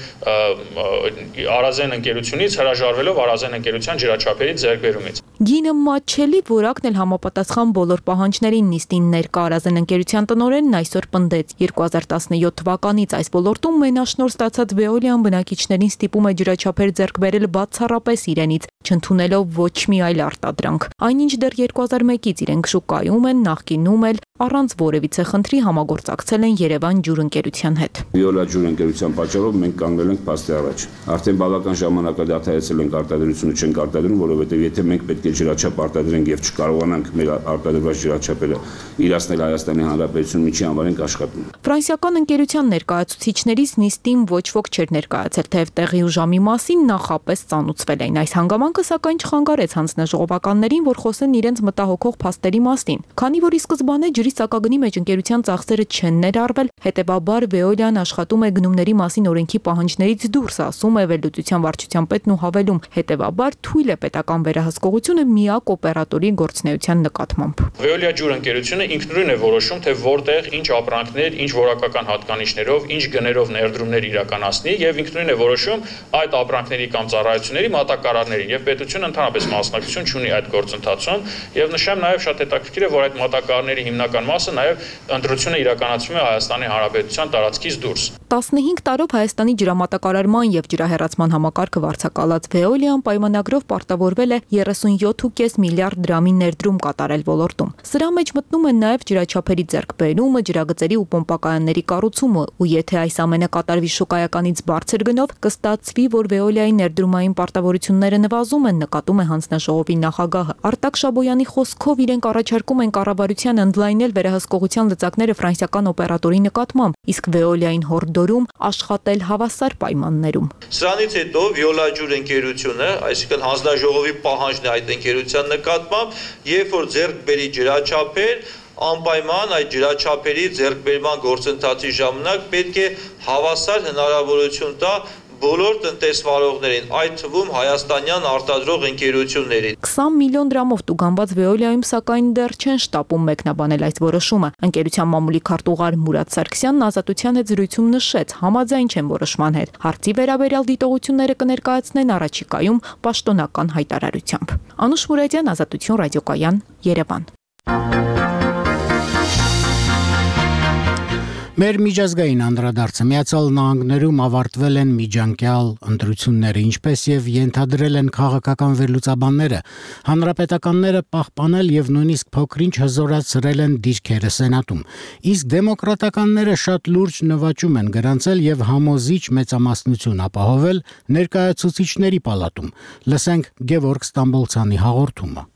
Arazեն ընկերությունից հրաժարվելով Arazեն ընկերության ջրաչափերի ձեռքբերումից։ Գինը մատչելի որակն էլ համապատասխան բոլոր պահանջներին նիստին ներկա Arazեն ընկերության տնօրենն այսօր պնդեց երկու հազար տասնյոթ թվականից այս ոլորտում մենաշնորհ ստացած Veolia-ն բնակիչներին ստիպում է ջրաչափեր ձեռք բերել բացառապես իրենից, չընդունելով ոչ մի այլ արտադրանք։ Այնինչ դեռ երկու հազար մեկից իրենք շուկայում են, նախկինում էլ առանց որևիցե խնդրի համագործակցել են Երևան ջուրընկերության հետ։ Veolia ջուրընկերության պատճառով մենք կանգնել ենք փաստի առաջ։ Արդեն բավական ժամանակ դադարեցել ենք արտադրությունը, չենք արտադրում, որովհետև եթե մենք պետք է ջրաչափ արտադրենք եւ չկարողանանք մեր արտադրված ջրաչափերը իրացնել Հայաստանի Հանրապետություն միջի համար ենք աշխատում։ Ֆրանսիական ընկերության ներկայացուցիչներից նիստին ոչ ոք չէր ներկայացել, թեև տեղի ու ժամի մասին նախապես ծանուցվել էին։ Այս հանգամանքը սակայն չխանգարեց հանձնաժողովականներին, որ խոսեն իրենց մտահոգող փաստերի մասին։ Քանի որ ի սկզբանե ջրի սակագնի մեջ ընկերության ծախսերը չեն ներառվել, հետևաբար Veolia-ն աշխատում է գնումների մասին օրենքի պահանջներից դուրս, ասում է վերլուծության վարչության պետն ու հավելում, հետևաբար թույլ է պետական վերահսկողությունը միակ օպերատորի գործունեության նկատմամբ։ Veolia ջուրընկերությունը ինքնուրույն է որոշում, թե որտեղ ինչ ապրանքներ, ինչ որակական հատկանիշներով, ինչ գներով ներդրումներ իրականացնի եւ ինքնուրույն է որոշում այդ ապրանքների կամ ծառայությունների մատակարարներին եւ պետությունը ընդհանրապես մասնակցություն չունի այդ գործընթացում եւ նշեմ նաեւ շատ հետաքրքիր է, որ այդ մատակարարների հիմնական մասը նաեւ ընտրությունը իրականացվում է Հայաստանի Հանրապետության տարածքից դուրս։ տասնհինգ տարով Հայաստանի ջրամատակարարման եւ ջրահեռացման համակարգը վարձակալած Veolia-ն պայմանագրով պարտավորվել է երեսունյոթ կόμμα պենս միլիարդ դրամի ներդրում կատարել ոլորտում։ Սրա մեջ մտնում են նաեւ ջրաչափերի ձեռքբերումը, ջրագծերի ու պոմպակայանների կառուցումը, ու եթե այս ամենը կատարվի շուկայականից բարձր գնով, կստացվի, որ Veolia-ի ներդրումային պարտավորությունները նվազում են, նկատում է հանձնաժողովի նախագահը։ Արտակ Շաբոյանի խոսքով իրենք առաջարկում են կառավարության ընդլայնել վերահսկողության լծակները ֆրանսիական օպերատորի նկատմամբ, իսկ Veolia-ին հորդորում աշխատել հավասար պայմաններում։ Սրանից հետո Veolia ջուրընկերությունը, այսինքն հանձնաժողովի պահանջն է այդ ընկերության նկատմամբ, երբ որ ձեռք բերի ջրաչափեր, անպայման այդ ջրաչափերի ձեռքբերման գործընթացի ժամանակ պետք է հավասար հնարավորություն տա բոլոր տնտեսվարողներին, այդ թվում հայաստանյան արտադրող ընկերություններին։ քսան միլիոն դրամով տուգանված Veolia-ում սակայն դեռ չեն շտապում մեկնաբանել այս որոշումը։ Ընկերության մամուլի քարտուղար Մուրադ Սարգսյանն Ազատության հետ զրույցում նշեց, համաձայն չեն որոշման հետ։ Հարցի վերաբերյալ դիտողությունները կներկայացնեն առաջիկայում պաշտոնական հայտարարությամբ։ Անուշ Մուրադյան, Ազատություն ռադիոկայան, Երևան։ Մեր միջազգային անդրադարձը Միացյալ Նահանգներում ավարտվել են միջանկյալ ընտրությունները, ինչպես եւ ենթադրել են քաղաքական վերլուծաբանները, հանրապետականները պահպանել եւ նույնիսկ փոքրինչ հզորացրել են դիրքերը Սենատում, իսկ դեմոկրատականները շատ լուրջ նվաճում են գրանցել եւ համոզիչ մեծամասնություն ապահովել ներկայացուցիչների պալատում։ Լսենք Գևորգ Ստամբոլցյանի հաղորդումը։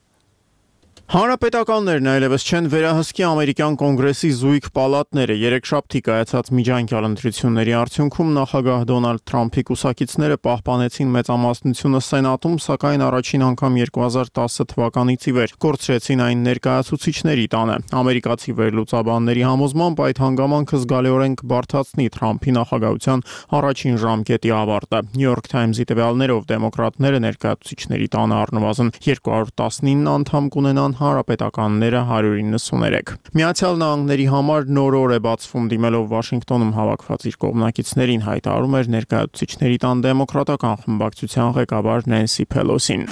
Հանրապետականներն այլևս չեն վերահսկի ամերիկյան կոնգրեսի զույգ պալատները։ Երեքշաբթի կայացած միջանկյալ ընտրությունների արդյունքում նախագահ Դոնալդ Թրամփի կուսակիցները պահպանեցին մեծամասնությունը սենատում, սակայն առաջին անգամ երկու հազար տասը թվականից ի վեր կորցրեցին այն ներկայացուցիչների տանը։ Ամերիկացի վերլուծաբանների համոզմամբ այդ հանգամանքը զգալիորեն կբարդացնի Թրամփի նախագահության առաջին ժամկետի ավարտը։ New York Times-ի տվյալներով դեմոկրատները ներկայացուցիչների տանը առնվազն երկու հարյուր տասնինը անդամ կունենան, հանրապետականները հարյուր իննսուներեք։ Միացյալ Նահանգների համար նոր օր է բացվում, դիմելով Վաշինգտոնում հավաքված իր կողմնակիցներին, հայտարարում էր ներկայացուցիչների տան դեմոկրատական խմբակցության ղեկավար Նենսի Փելոսին։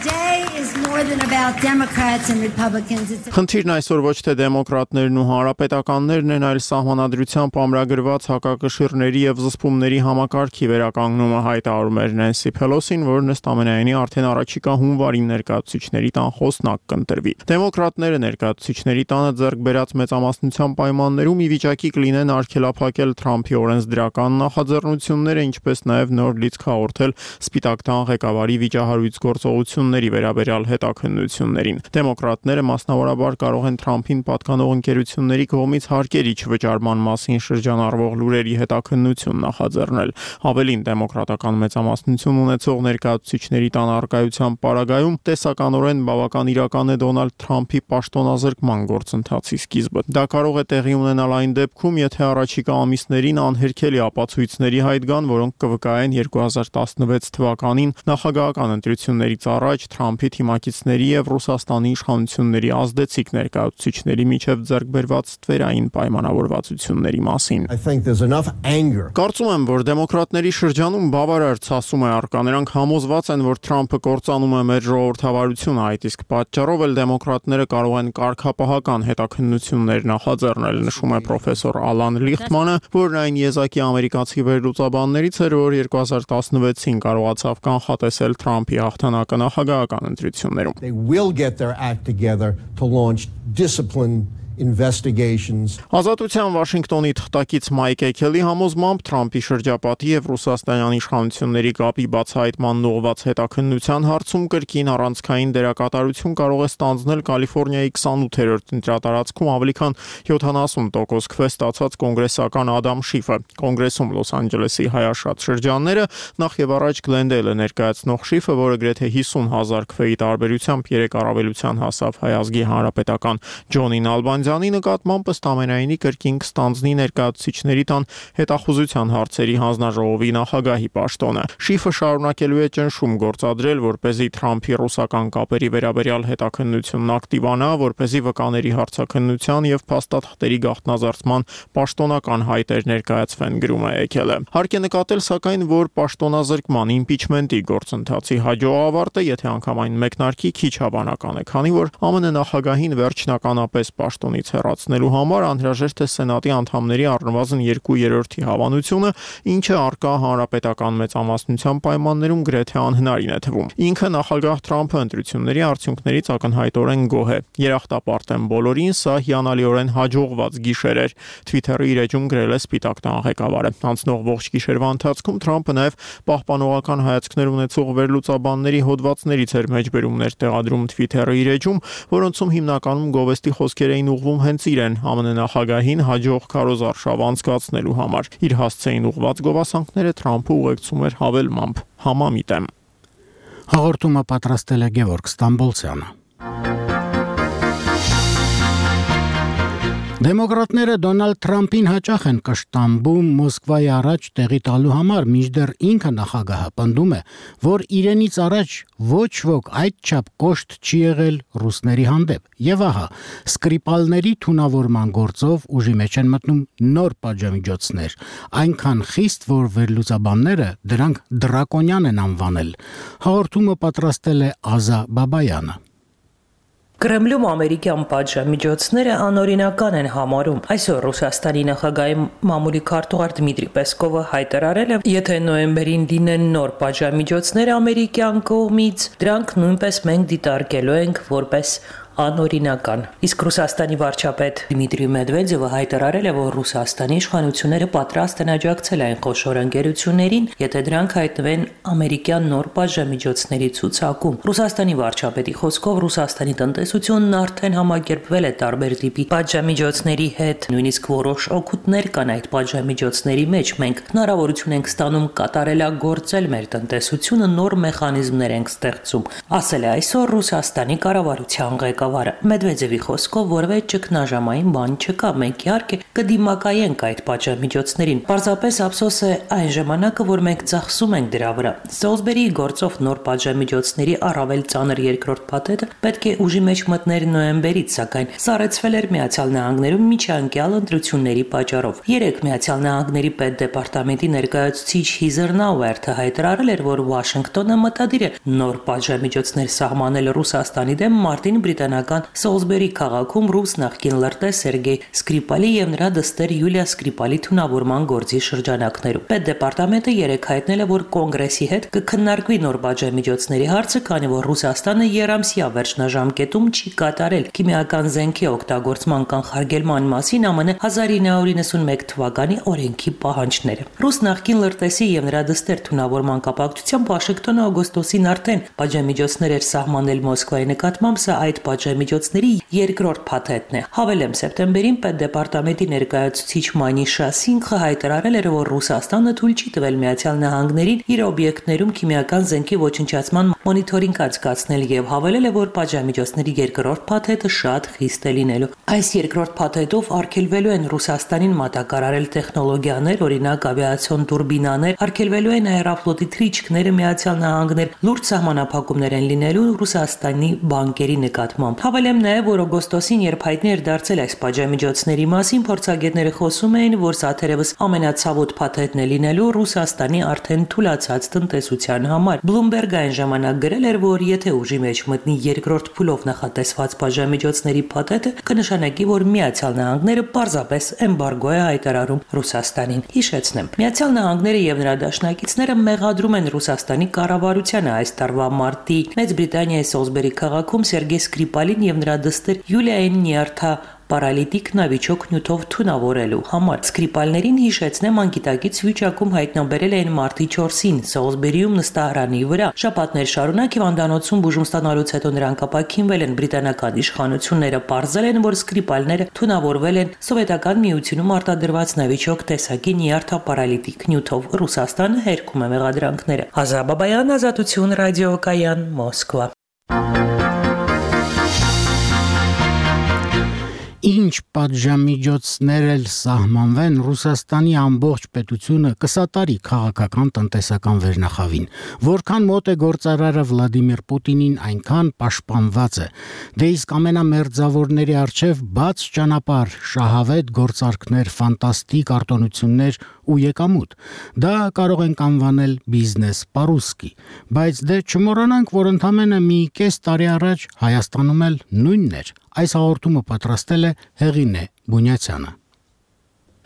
Խնդիրն այսօր ոչ թե դեմոկրատներն ու հանրապետականներն են, այլ սահմանադրությամբ ամրագրված հակակշիռների եւ զսպումների համակարգի վերականգնումը, հայտարարում էր Նենսի Փելոսին, որն ըստ ամենայնի արդեն առաջիկա հունվարին ներկայացուցիչների տան խոսնակ կընտրվի։ Դեմոկրատները ներկայացուցիչների տանը ձեռք բերած մեծամասնության պայմաններում ի վիճակի կլինեն արգելափակել Թրամփի օրենսդրական նախաձեռնությունները, ինչպես նաև նոր լիցք հաղորդել Սպիտակ տան ղեկավարի վիճահարույց գործողությունների վերաբերյալ հետաքննություններին։ Դեմոկրատները մասնավորաբար կարող են Թրամփին պատկանող ընկերությունների կողմից հարկերի չվճարման մասին շրջանառվող լուրերի հետաքննություն նախաձեռնել։ Ավելին, դեմոկրատական մեծամասնություն ունեցող ներկայացուցիչների տան առկայության պարագայում տեսականորեն բավական իրական է Դոնալդ Թրամփի պաշտոնազրկման գործընթացի սկիզբը։ Դա կարող է տեղի ունենալ այն դեպքում, եթե առաջիկա ամիսներին անհերքելի ապացույցների հայտ գան, որոնք կվկայեն երկու հազար տասնվեց թվականին նախագահական ընտրություններից առաջ Թրամփի թիմակիցների եւ Ռուսաստանի իշխանությունների ազդեցիկ ներկայացուցիչների միջև ձեռք բերված ստվերային պայմանավորվածությունների մասին։ Կարծում եմ, որ դեմոկրատների շրջանում բավարար ցասում է առկա։ Նրանք համոզված են, որ Թրամփը կործանում է մեր ժողովրդավարությունը, այդ իսկ պատճառով էլ դեմոկրատները կարող են կարգապահական հետաքննություններ նախաձեռնել, նշում է պրոֆեսոր Ալան Լիխտմանը, որն այն եզակի ամերիկացի վերլուծաբաններից էր, որ երկու հազար տասնվեցին կարողացավ կանխատեսել Թրամփի հաղթանակը նախագահական ընտրություններում։ They will get their act together to launch discipline investigations. Ազատության Վաշինգտոնի թղթակից Մայք Էքելի համոզմամբ Թրամփի շրջապատի եւ Ռուսաստանյան իշխանությունների կապի բացահայտման ուղղված հետաքննության հարցում կրկին առանցքային դերակատարություն կարող է ստանձնել Կալիֆոռնիայի քսանութերորդ ընտրատարածքում ավելի քան յոթանասուն տոկոս քվե ստացած կոնգրեսական Ադամ Շիֆը։ Կոնգրեսում Լոս Անջելեսի հայաշատ շրջանները նախ եւ առաջ Գլենդեյլը ներկայացնող Շիֆը, որը գրեթե հիսուն հազար քվեի տարբերությամբ երեք առավելության հասավ հայ ազգի հանրապետական Ջոնին Ալբանզյանի նկատմամբ ըստ ամենայնի կրկին կստանձնի ներկայացուցիչների տան հետախուզության հարցերի հանձնաժողովի նախագահի պաշտոնը։ Շիֆը շարունակելու է ճնշում գործադրել, որպեսզի Թրամփի ռուսական կապերի վերաբերյալ հետաքննությունն ակտիվանա, որպեսզի վկաների հարցաքննության եւ փաստաթղթերի գաղտնազարդման պաշտոնական հայտեր ներկայացվեն, գրում է Էքելը։ Հարկ է նկատել, սակայն, որ պաշտոնազրկման իմպիչմենտի գործընթացի հաջող ավարտը, եթե անգամ այն մեկնարկի, քիչ հավանական է, քանի որ ԱՄՆ նախագահին վերջնականապես պաշտոնից հեռացնելու համար անհրաժեշտ է Սենատի անդամների առնվազն երկու երրորդի հավանությունը, ինչը առկա հանրապետական մեծամասնության պայմաններում գրեթե անհնարին է թվում։ Ինքը նախագահ Թրամփը ընտրությունների արդյունքներից ակնհայտորեն գոհ է։ Երախտապարտ են բոլորին, սա հիանալիորեն հաջողված գիշեր էր, Twitter-ի իր էջում գրել է Սպիտակ տան ղեկավարը։ Անցնող ողջ գիշերվա ընթացքում Թրամփը նաև պահպանողական հայացքներ ունեցող վերլուծաբանների հոդվածներից էր մեջբերումներ տեղադրում Twitter-ի իր էջում, որոնցում հիմնականում գովեստի խոսքեր էին ուղղվում հենց իրեն, ԱՄՆ նախագահին հաջող քարոզարշավ անցկացնելու համար։ Իր հասցեին ուղղված գովասանքները Թրամփը ուղեկցում էր հավելմամբ՝ համամիտ եմ։ Հաղորդումը պատրաստել է Գևորգ Ստամբոլցյանը։ Դեմոկրատները Դոնալդ Թրամփին հաճախ են կշտամբում Մոսկվայի առաջ տեղի տալու համար, մինչդեռ ինքը նախագահը պնդում է, որ իրենից առաջ ոչ ոք այդչափ կոշտ չի եղել ռուսների հանդեպ։ Եվ ահա, սկրիպալների թունավորման գործով ուժի մեջ են մտնում նոր պատժամիջոցներ, այնքան խիստ, որ վերլուծաբանները դրանք դրակոնյան են անվանել։ Հաղորդումը պատրաստել է Ազա Բաբայանը։ Կրեմլում ամերիկյան պատժամիջոցները անօրինական են համարում։ Այսօր Ռուսաստանի նախագահի մամուլի քարտուղար Դմիտրի Պեսկովը հայտարարել է, եթե նոյեմբերին լինեն նոր պատժամիջոցներ ամերիկյան կողմից, դրանք նույնպես մենք դիտարկելու ենք որպես անօրինական։ Իսկ Ռուսաստանի վարչապետ Դմիտրի Մեդվեդևը հայտարարել է, որ Ռուսաստանի իշխանությունները պատրաստ են աջակցել այն խոշոր ընկերություններին, եթե դրանք հայտնվեն ամերիկյան նոր պատժամիջոցների ցուցակում։ Ռուսաստանի վարչապետի խոսքով Ռուսաստանի տնտեսությունն արդեն համակերպվել է տարբեր տիպի պատժամիջոցների հետ, նույնիսկ որոշ օգուտներ կան այդ պատժամիջոցների մեջ։ Մենք հնարավորություն ենք ստանում կատարելագործել մեր տնտեսությունը, նոր մեխանիզմներ ենք ստեղծում, ասել է այսօր Ռուսաստանի կառավարության ղեկավարը։ Մեդվեդևի խոսքով որևէ ճգնաժամային բան չկա, մենք իհարկե կդիմակայենք այդ պատժամիջոցներին։ Պարզապես ափսոս է այն ժամանակը, որ մենք ծախսում ենք դրա վրա։ Սոլսբերիի գործով նոր պատժամիջոցների առավել ծանր երկրորդ փաթեթը պետք է ուժի մեջ մտներ նոյեմբերից, սակայն սառեցվել էր Միացյալ Նահանգներում միջանկյալ ընտրությունների պատճառով։ Երեք Միացյալ Նահանգների պետդեպարտամենտի ներկայացուցիչ Հիզեր Նաուերթը հայտարարել էր, որ Վաշինգտոնը մտադիր է նոր պատժամիջոցներ սահմանել Ռուսաստանի դեմ մարտին բրիտանական Սոլսբերի քաղաքում ռուս նախկին լրտես Սերգեյ Սկրիպալի եւ նրա դստեր Յուլիա Սկրիպալի թունավորման գործի շրջանակներում։ Պետդեպարտամենտը երեկ հայտնել է, որ կոնգրեսի հետ կքննարկվի նոր պատժամիջոցների հարցը, քանի որ Ռուսաստանը երամսյա վերջնաժամկետում չի կատարել քիմիական զենքի օգտագործման կանխարգելման մասին ԱՄՆ հազար ինը հարյուր նվաթ թվականի օրենքի պահանջները։ Ռուս նախկին լրտեսի եւ նրա դստեր թունավորման կապակցությամբ Վաշինգտոնը օգոստոսին արդեն պատժամիջոցներ էր սահմանել Մոսկվայի նկատմամբ, սա այդ պատժամիջոցների երկրորդ փաթեթն է։ Հավելեմ, սեպտեմբերին պետդեպարտամենտի ներկայացուցիչ Մանիշա Սինխը հայտարարել էր, որ Ռուսաստանը թույլ չի տվել Միացյալ Նահանգներին իր օբյեկտներում քիմիական զենքի ոչնչացման մոնիթորինգ անցկացնել եւ հավելել է, որ պատժամիջոցների երկրորդ փաթեթը շատ խիստ է լինելու։ Այս երկրորդ փաթեթով արգելվելու են Ռուսաստանին մատակարարել տեխնոլոգիաներ, օրինակ ավիացիոն турբինաներ, արգելվելու են աերոֆլոտի թռիչքները Միացյալ Նահանգներ, լուրջ սահմանափակումներ են լինելու Ռուսաստանի բանկերի նկատմամբ։ Հավելեմ նաև, որ օգոստոսին, երբ հայտնի էր դարձել այս պատժամիջոցների մասին, փորձագետները խոսում էին, որ սա թերևս ամենացավոտ փաթեթն է լինելու Ռուսաստանի արդեն թուլացած տնտեսության համար։ Bloomberg այն ժամանակ գրել էր, որ եթե ուժի մեջ մտնի երկրորդ փուլով նախատեսված պատժամիջոցների փաթեթը, կնշանակի, որ Միացյալ Նահանգները պարզապես էմբարգո է հայտարարում Ռուսաստանին։ Հիշեցնեմ, Միացյալ Նահանգները եւ նրա դաշնակիցները մեղադրում են Ռուսաստանի կառավարությանը այս տարվա մարտի Մեծ Բրիտանիայի Սոլսբերի քաղաքում Սերգեյ Սկրիպալին եւ նրա դստեր Յուլիային Նիարթա պարալիտիկ նավիճոկ նյութով թունավորելու համար։ Սկրիպալներին հիշեցնեմ, անկիտակից վիճակում հայտնաբերել էին մարտի չորսին Սոլսբերիում նստարանի վրա։ Շաբաթներ շարունակ հիվանդանոցում բուժում ստանալուց հետո նրանք ապաքինվել են։ Բրիտանական իշխանությունները պարզել են, որ Սկրիպալները թունավորվել են Սովետական Միությունում արտադրված նավիճոկ տեսակի Նիարթա պարալիտիկ նյութով։ Ռուսաստանը հերքում է մեղադրանքները։ Ազա Բաբայան, Ազատություն, ռադիոկայան, Մոսկվա։ Ինչ պատժամիջոցներ էլ սահմանվեն, Ռուսաստանի ամբողջ պետությունը կսատարի քաղաքական տնտեսական վերնախավին։ Որքան մոտ է գործարարը Վլադիմիր Պուտինին, այնքան պաշտպանված է։ Դե իսկ ամենամերձավորների առջև բաց ճանապարհ, շահավետ գործարքներ, ֆանտաստիկ արտոնություններ ու եկամուտ։ Դա կարող ենք անվանել բիզնես պարուսկի, բայց դե չմոռանանք, որ ընդամենը մի կես տարի առաջ Հայաստանում էլ նույնն էր։ Այս հաղորդումը պատրաստել է Հեղինե Բունյացյանը։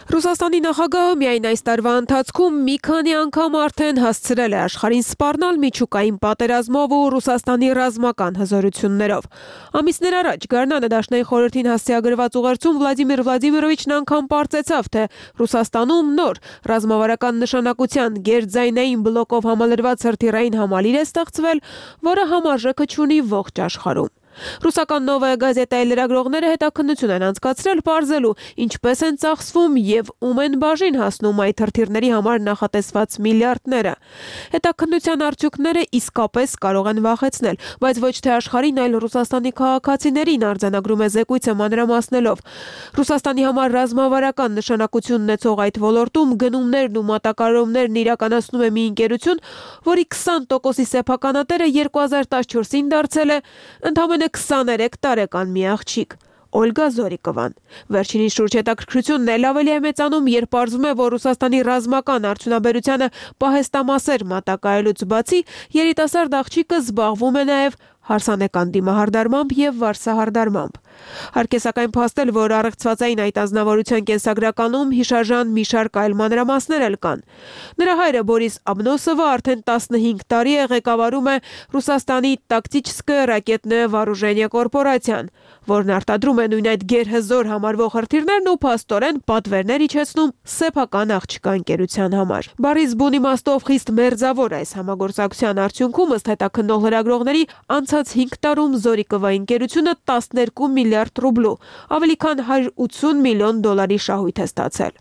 Ռուսաստանի նախագահը միայն այս տարվա ընթացքում մի քանի անգամ արդեն հասցրել է աշխարհին սպառնալ միջուկային պատերազմով ու Ռուսաստանի ռազմական հզորություններով։ Ամիսներ առաջ Գառնանը Դաշնային խորհրդին հասցեագրված ուղերձում Վլադիմիր Վլադիմիրովիչն անգամ պարզեցավ, թե Ռուսաստանում նոր ռազմավարական նշանակության գերձայնային բլոկով համալրված հրթիռային համալիր է ստեղծվել, որը համարժեքը չունի ողջ աշխարհում։ Ռուսական Նովայա գազետայի լրագրողները հետաքննություն են անցկացրել պարզելու, ինչպես են ծախսվում եւ ում են բաժին հասնում այդ հրթիռների համար նախատեսված միլիարդները։ Հետաքննության արդյունքները իսկապես կարող են վախեցնել, բայց ոչ թե աշխարհին, այլ Ռուսաստանի քաղաքացիներին, արձանագրում է զեկույցը մանրամասնելով։ Ռուսաստանի համար ռազմավարական նշանակություն ունեցող այդ ոլորտում գնումներն ու մատակարարումներն իրականացնում է մի ընկերություն, որի քսան տոկոսի սեփականատերը երկու հազար տասնչորսին դարձել է ընդամենը քսաներեք տարեկան մի աղջիկ։ Օլգա Զորիկովան։ Վերջինին շուրջ հետաքրքրությունն էլ ավելի է մեծանում, երբ պարզվում է, որ Ռուսաստանի ռազմական արդյունաբերությանը պահեստամասեր մատակարարելուց բացի երիտասարդ աղջիկը զբաղվում է նաև հարսանեկան դիմահարդարմամբ եւ վարսահարդարմամբ։ Հարկ է սակայն փաստել, որ առեղծվածային այդ ազնվորության կենսագրականում հիշարժան մի շարք այլ մանրամասներ էլ կան։ Նրա հայրը Բորիս Աբնոսովը արդեն տասնհինգ տարի է ղեկավարում է Ռուսաստանի տակտիչսկե ռակետնե վարուժենիե կորպորացիան, որն արտադրում է նույն այդ գերհզոր համարվող հրթիռներն ու փաստորեն պատվերներ իջեցնում սեփական աղջկա ընկերության համար։ Բառի զբուն իմաստով խիստ մերձավոր այս համագործակցության արդյունքում ըստ հետաքննող լրագրողների անցած հինգ տարում Զորիկովայի ընկերությունը տասներկու միլիարդ ռուբլու, ավելի քան հարյուր ութսուն միլիոն դոլարի շահույթ է ստացել։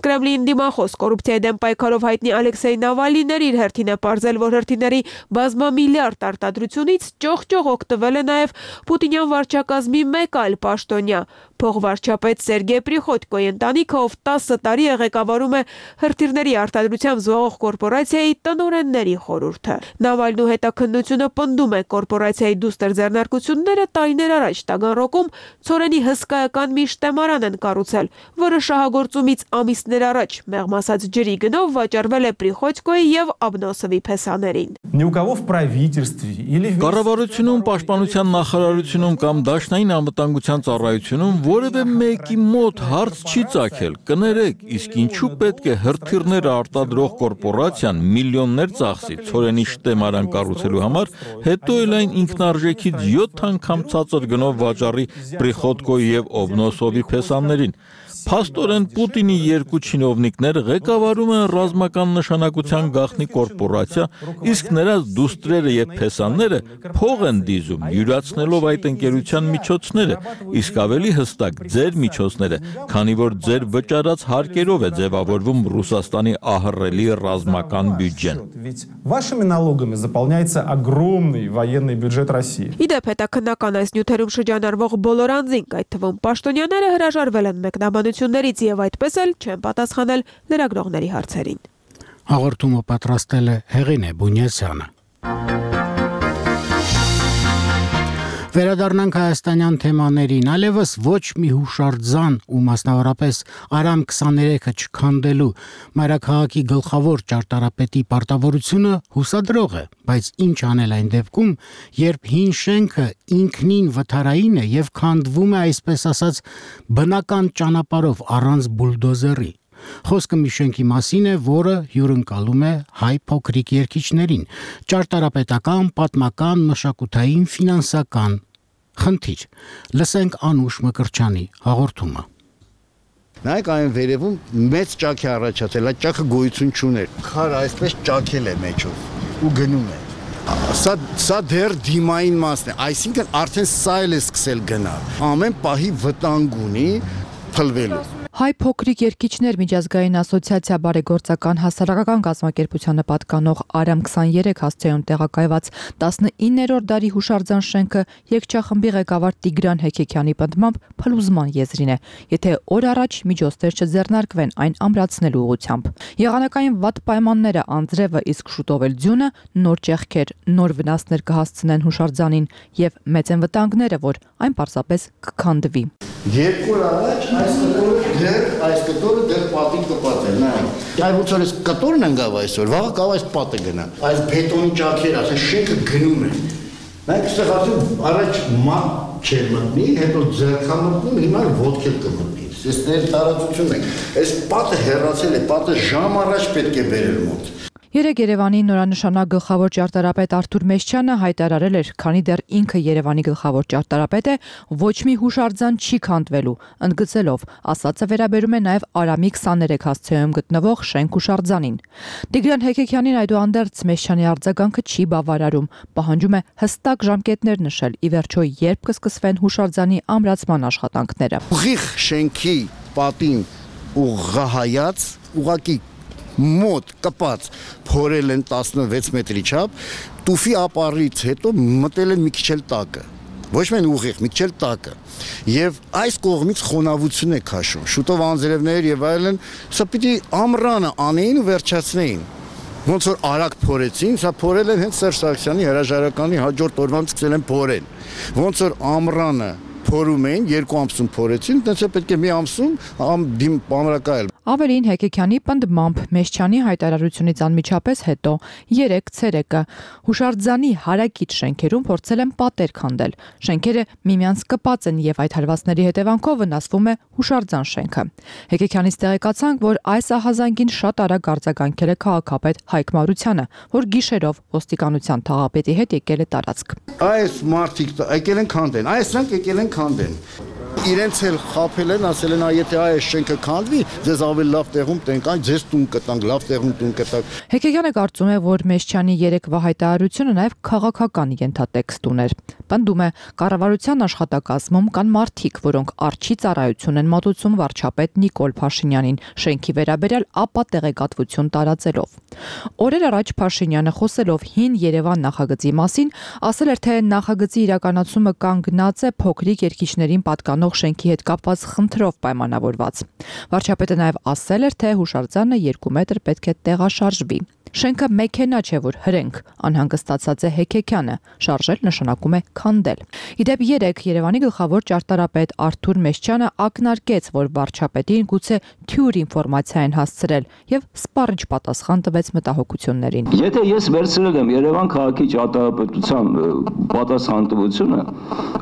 Կրեմլին դիմախոս կոռուպցիայի դեմ պայքարով հայտնի Ալեքսեյ Նավալինն իր հերթին է պարզել, որ հրթիռների բազմամիլիարդ արտադրությունից ճոխ-ճոխ օգտվել է նաև Պուտինյան վարչակազմի մեկ այլ պաշտոնյա, փոխվարչապետ Սերգեյ Պրիխոդկոյի ընտանիքը, ով տասը տարի է ղեկավարում է հրթիռների արտադրությամբ զբաղվող կորպորացիայի տնօրենների խորհուրդը։ Նավալնու հետաքննությունը պնդում է կորպորացիայի դուստր ձեռնարկությունները տարիներ առաջ Տագանրոգում ցորենի հսկայական մի շտեմարան են կառուցել, որը շահագործումից ամիսներ առաջ մեղմ ասած ջրի գնով վաճառվել է Պրիխոդկոյի եւ Աբնոսովի փեսաներին։ Կառավարությունում, պաշտպանության նախարարությունում կամ դաշնային անվտանգության ծառայությունում որևէ մեկի մոտ հարց չի ծագել, կներեք, իսկ ինչու պետք է հրթիռները արտադրող կորպորացիան միլիոններ ծախսի ցորենի շտեմարան կառուցելու համար, հետո էլ այն ինքնարժեքից յոթ անգամ ցածր գնով վաճառի Պրիխոդկոյի եւ Աբնոսովի փեսաներին։ Փաստորեն Պուտինի երկու չինովնիկներ ղեկավարում են ռազմական նշանակության գաղտնի կորպորացիա, իսկ նրանց դուստրերը եւ փեսաները փող են դիզում, յուրացնելով այդ ընկերության միջոցները, իսկ ավելի հստակ ձեր միջոցները, քանի որ ձեր վճարած հարկերով է ձևավորվում Ռուսաստանի ահռելի ռազմական բյուջեն։ Вашими налогами заполняется огромный военный бюджет России։ Իդեպ հետաքննական այս նյութերում շրջանառվող բոլոր անձինք, այդ թվում պաշտոնյաները հրաժարվել են մեկնաբանություններից եւ այդպես էլ չեն պատասխանել լրագրողների հարցերին։ Հաղորդումը պատրաստել է Հեղինե Բունյասյանը։ Վերադառնանք հայաստանյան թեմաներին, այլևս ոչ մի հուշարձան ու մասնավորապես Արամ քսաներեքը չքանդելու մայրաքաղաքի գլխավոր ճարտարապետի պարտավորությունը հուսադրող է, բայց ինչ անել այն դեպքում, երբ հին շենքը ինքնին վթարային է եւ քանդվում է, այսպես ասած, բնական ճանապարհով առանց բուլդոզերի։ Խոսքը մի շենքի մասին է, որը հյուրընկալում է հայ փոքրիկ երգիչներին, ճարտարապետական, պատմական, մշակութային, ֆինանսական խնդիր։ Լսենք Անուշ Մկրչյանի հաղորդումը։ Նայեք այն վերևում մեծ ճաք է առաջացել, այդ ճաքը գոյություն չուներ։ Քարը այսպես ճաքել է մեջով ու գնում է։ Սա սա դեռ դիմային մասն է, այսինքն արդեն սա էլ է սկսել գնալ։ Ամեն պահի վտանգ ունի փլվելու։ Հայ փոքրիկ երգիչներ միջազգային ասոցիացիա բարեգործական հասարակական կազմակերպությանը պատկանող Արամ քսաներեք հասցեում տեղակայված տասնիններորդ դարի հուշարձան շենքը երգչախմբի ղեկավար Տիգրան Հեքեքյանի պնդմամբ փլուզման եզրին է, եթե օր առաջ միջոցներ չձեռնարկվեն այն ամրացնելու ուղղությամբ։ Եղանակային վատ պայմանները, անձրևը, իսկ շուտով էլ ձյունը նոր ճեղքեր, նոր վնասներ կհասցնեն հուշարձանին եւ մեծ են վտանգները, որ այն պարզապես կքանդվի։ Երկու օր առաջ այս կտորը դեռ այս կտորը դեռ պատին կպատել, նայեք։ Այ ոնց որ այս կտորն ընկավ այսօր, վաղը կավ այս պատը գնա։ Այս բետոնի ճաքերը, այս շենքը գնում է։ Նայեք, այստեղ արդեն առաջ մատ չէր մտնի, հետո ձեռքա մտնում, հիմա ոտք էլ կմտնի։ Այս ներ տարածություն է։ Այս պատը հեռացել է, պատը ժամ առաջ պետք է բերել մոտ։ Երեկ Երևանի նորանշանակ գլխավոր ճարտարապետ Արթուր Մեշչյանը հայտարարել էր, քանի դեռ ինքը Երևանի գլխավոր ճարտարապետ է, ոչ մի հուշարձան չի քանդվելու, ընդգծելով, ասածը վերաբերում է նաև Արամի քսաներեք հասցեում գտնվող շենք հուշարձանին։ Տիգրան Հեքեքյանին այդուհանդերձ Մեշչյանի արձագանքը չի բավարարում, պահանջում է հստակ ժամկետներ նշել, ի վերջո երբ կսկսվեն հուշարձանի ամրացման աշխատանքները։ Ուղիղ շենքի պատին ուղղահայաց, ուղակի մոտ կպած փորել են տասնվեց մետրի չափ, տուֆի ապարից հետո մտել են մի քիչ էլ տակը, ոչ միայն ուղիղ, մի քիչ էլ տակը, եւ այս կողմից խոնավություն է քաշում, շուտով անձրևներ եւ այլն, սա պիտի ամռանը անեին ու վերջացնեին, ոնց որ արագ փորեցին, սա փորել են հենց Սերժ Սարգսյանի հրաժարականի հաջորդ օրվանից սկսել են փորել, ոնց որ ամռանը փորում էին, երկու ամսում փորեցին, տենց է պետք է մի ամսում ամ դիմ ամրակայել։ Ավելին Հեկեքյանի պնդմամբ Մեշչյանի հայտարարությունից անմիջապես հետո երեք ցերեկը հուշարձանի հարակից շենքերում փորձել են պատեր քանդել։ Շենքերը միմյանց կպած են եւ այդ հարվածների հետևանքով վնասվում է հուշարձան շենքը։ Հեկեքյանից տեղեկացանք, որ այս ահազանգին շատ արագ արձագանքել է քաղաքապետ Հայկ Մարությանը, որ գիշերով ոստիկանության թաղապետի հետ եկել է տարածք։ Այս մարդիկ եկել են քանդեն, այսինքն եկել են քանդեն։ Իրենց էլ խափել են, ասել են, եթե այս շենքը քանդվի, ձեզ ավելի լավ տեղում տնկան, ձեզ տուն կտանք, լավ տեղում տուն կտանք։ Հեկեքյանը կարծում է, որ Մեշչյանի երեկվա հայտարարությունը նաև քաղաքական ենթատեքստ ուներ։ Պնդում է, կառավարության աշխատակազմում կան մարդիկ, որոնք արչի ծառայություն են մատուցում վարչապետ Նիկոլ Փաշինյանին, շենքի վերաբերյալ ապա տեղեկատվություն տարածելով։ Օրեր առաջ Փաշինյանը խոսելով Հին Երևան նախագծի մասին, ասել էր, թե նախագծի իրականացումը կանգնած է փոքրիկ երկիչներին պատկանող շենքի հետ կապված խնդրով պայմանավորված։ Վարչապետը նաև ասել էր, թե հուշարձանը երկու մետր պետք է տեղաշարժվի։ Շենքը մեքենա չէ, որ հրենք, անհանգստացած է Հեկեքյանը, շարժել նշանակում է քանդել։ Իդեպ երեք Երևանի գլխավոր ճարտարապետ Արթուր Մեշչյանը ակնարկեց, որ վարչապետին գուցե թյուր ինֆորմացիա են հասցրել եւ սպառիչ պատասխան տվեց մտահոգություններին։ Եթե ես վերցրել եմ Երևան քաղաքի ճարտարապետության պատասխանատվությունը,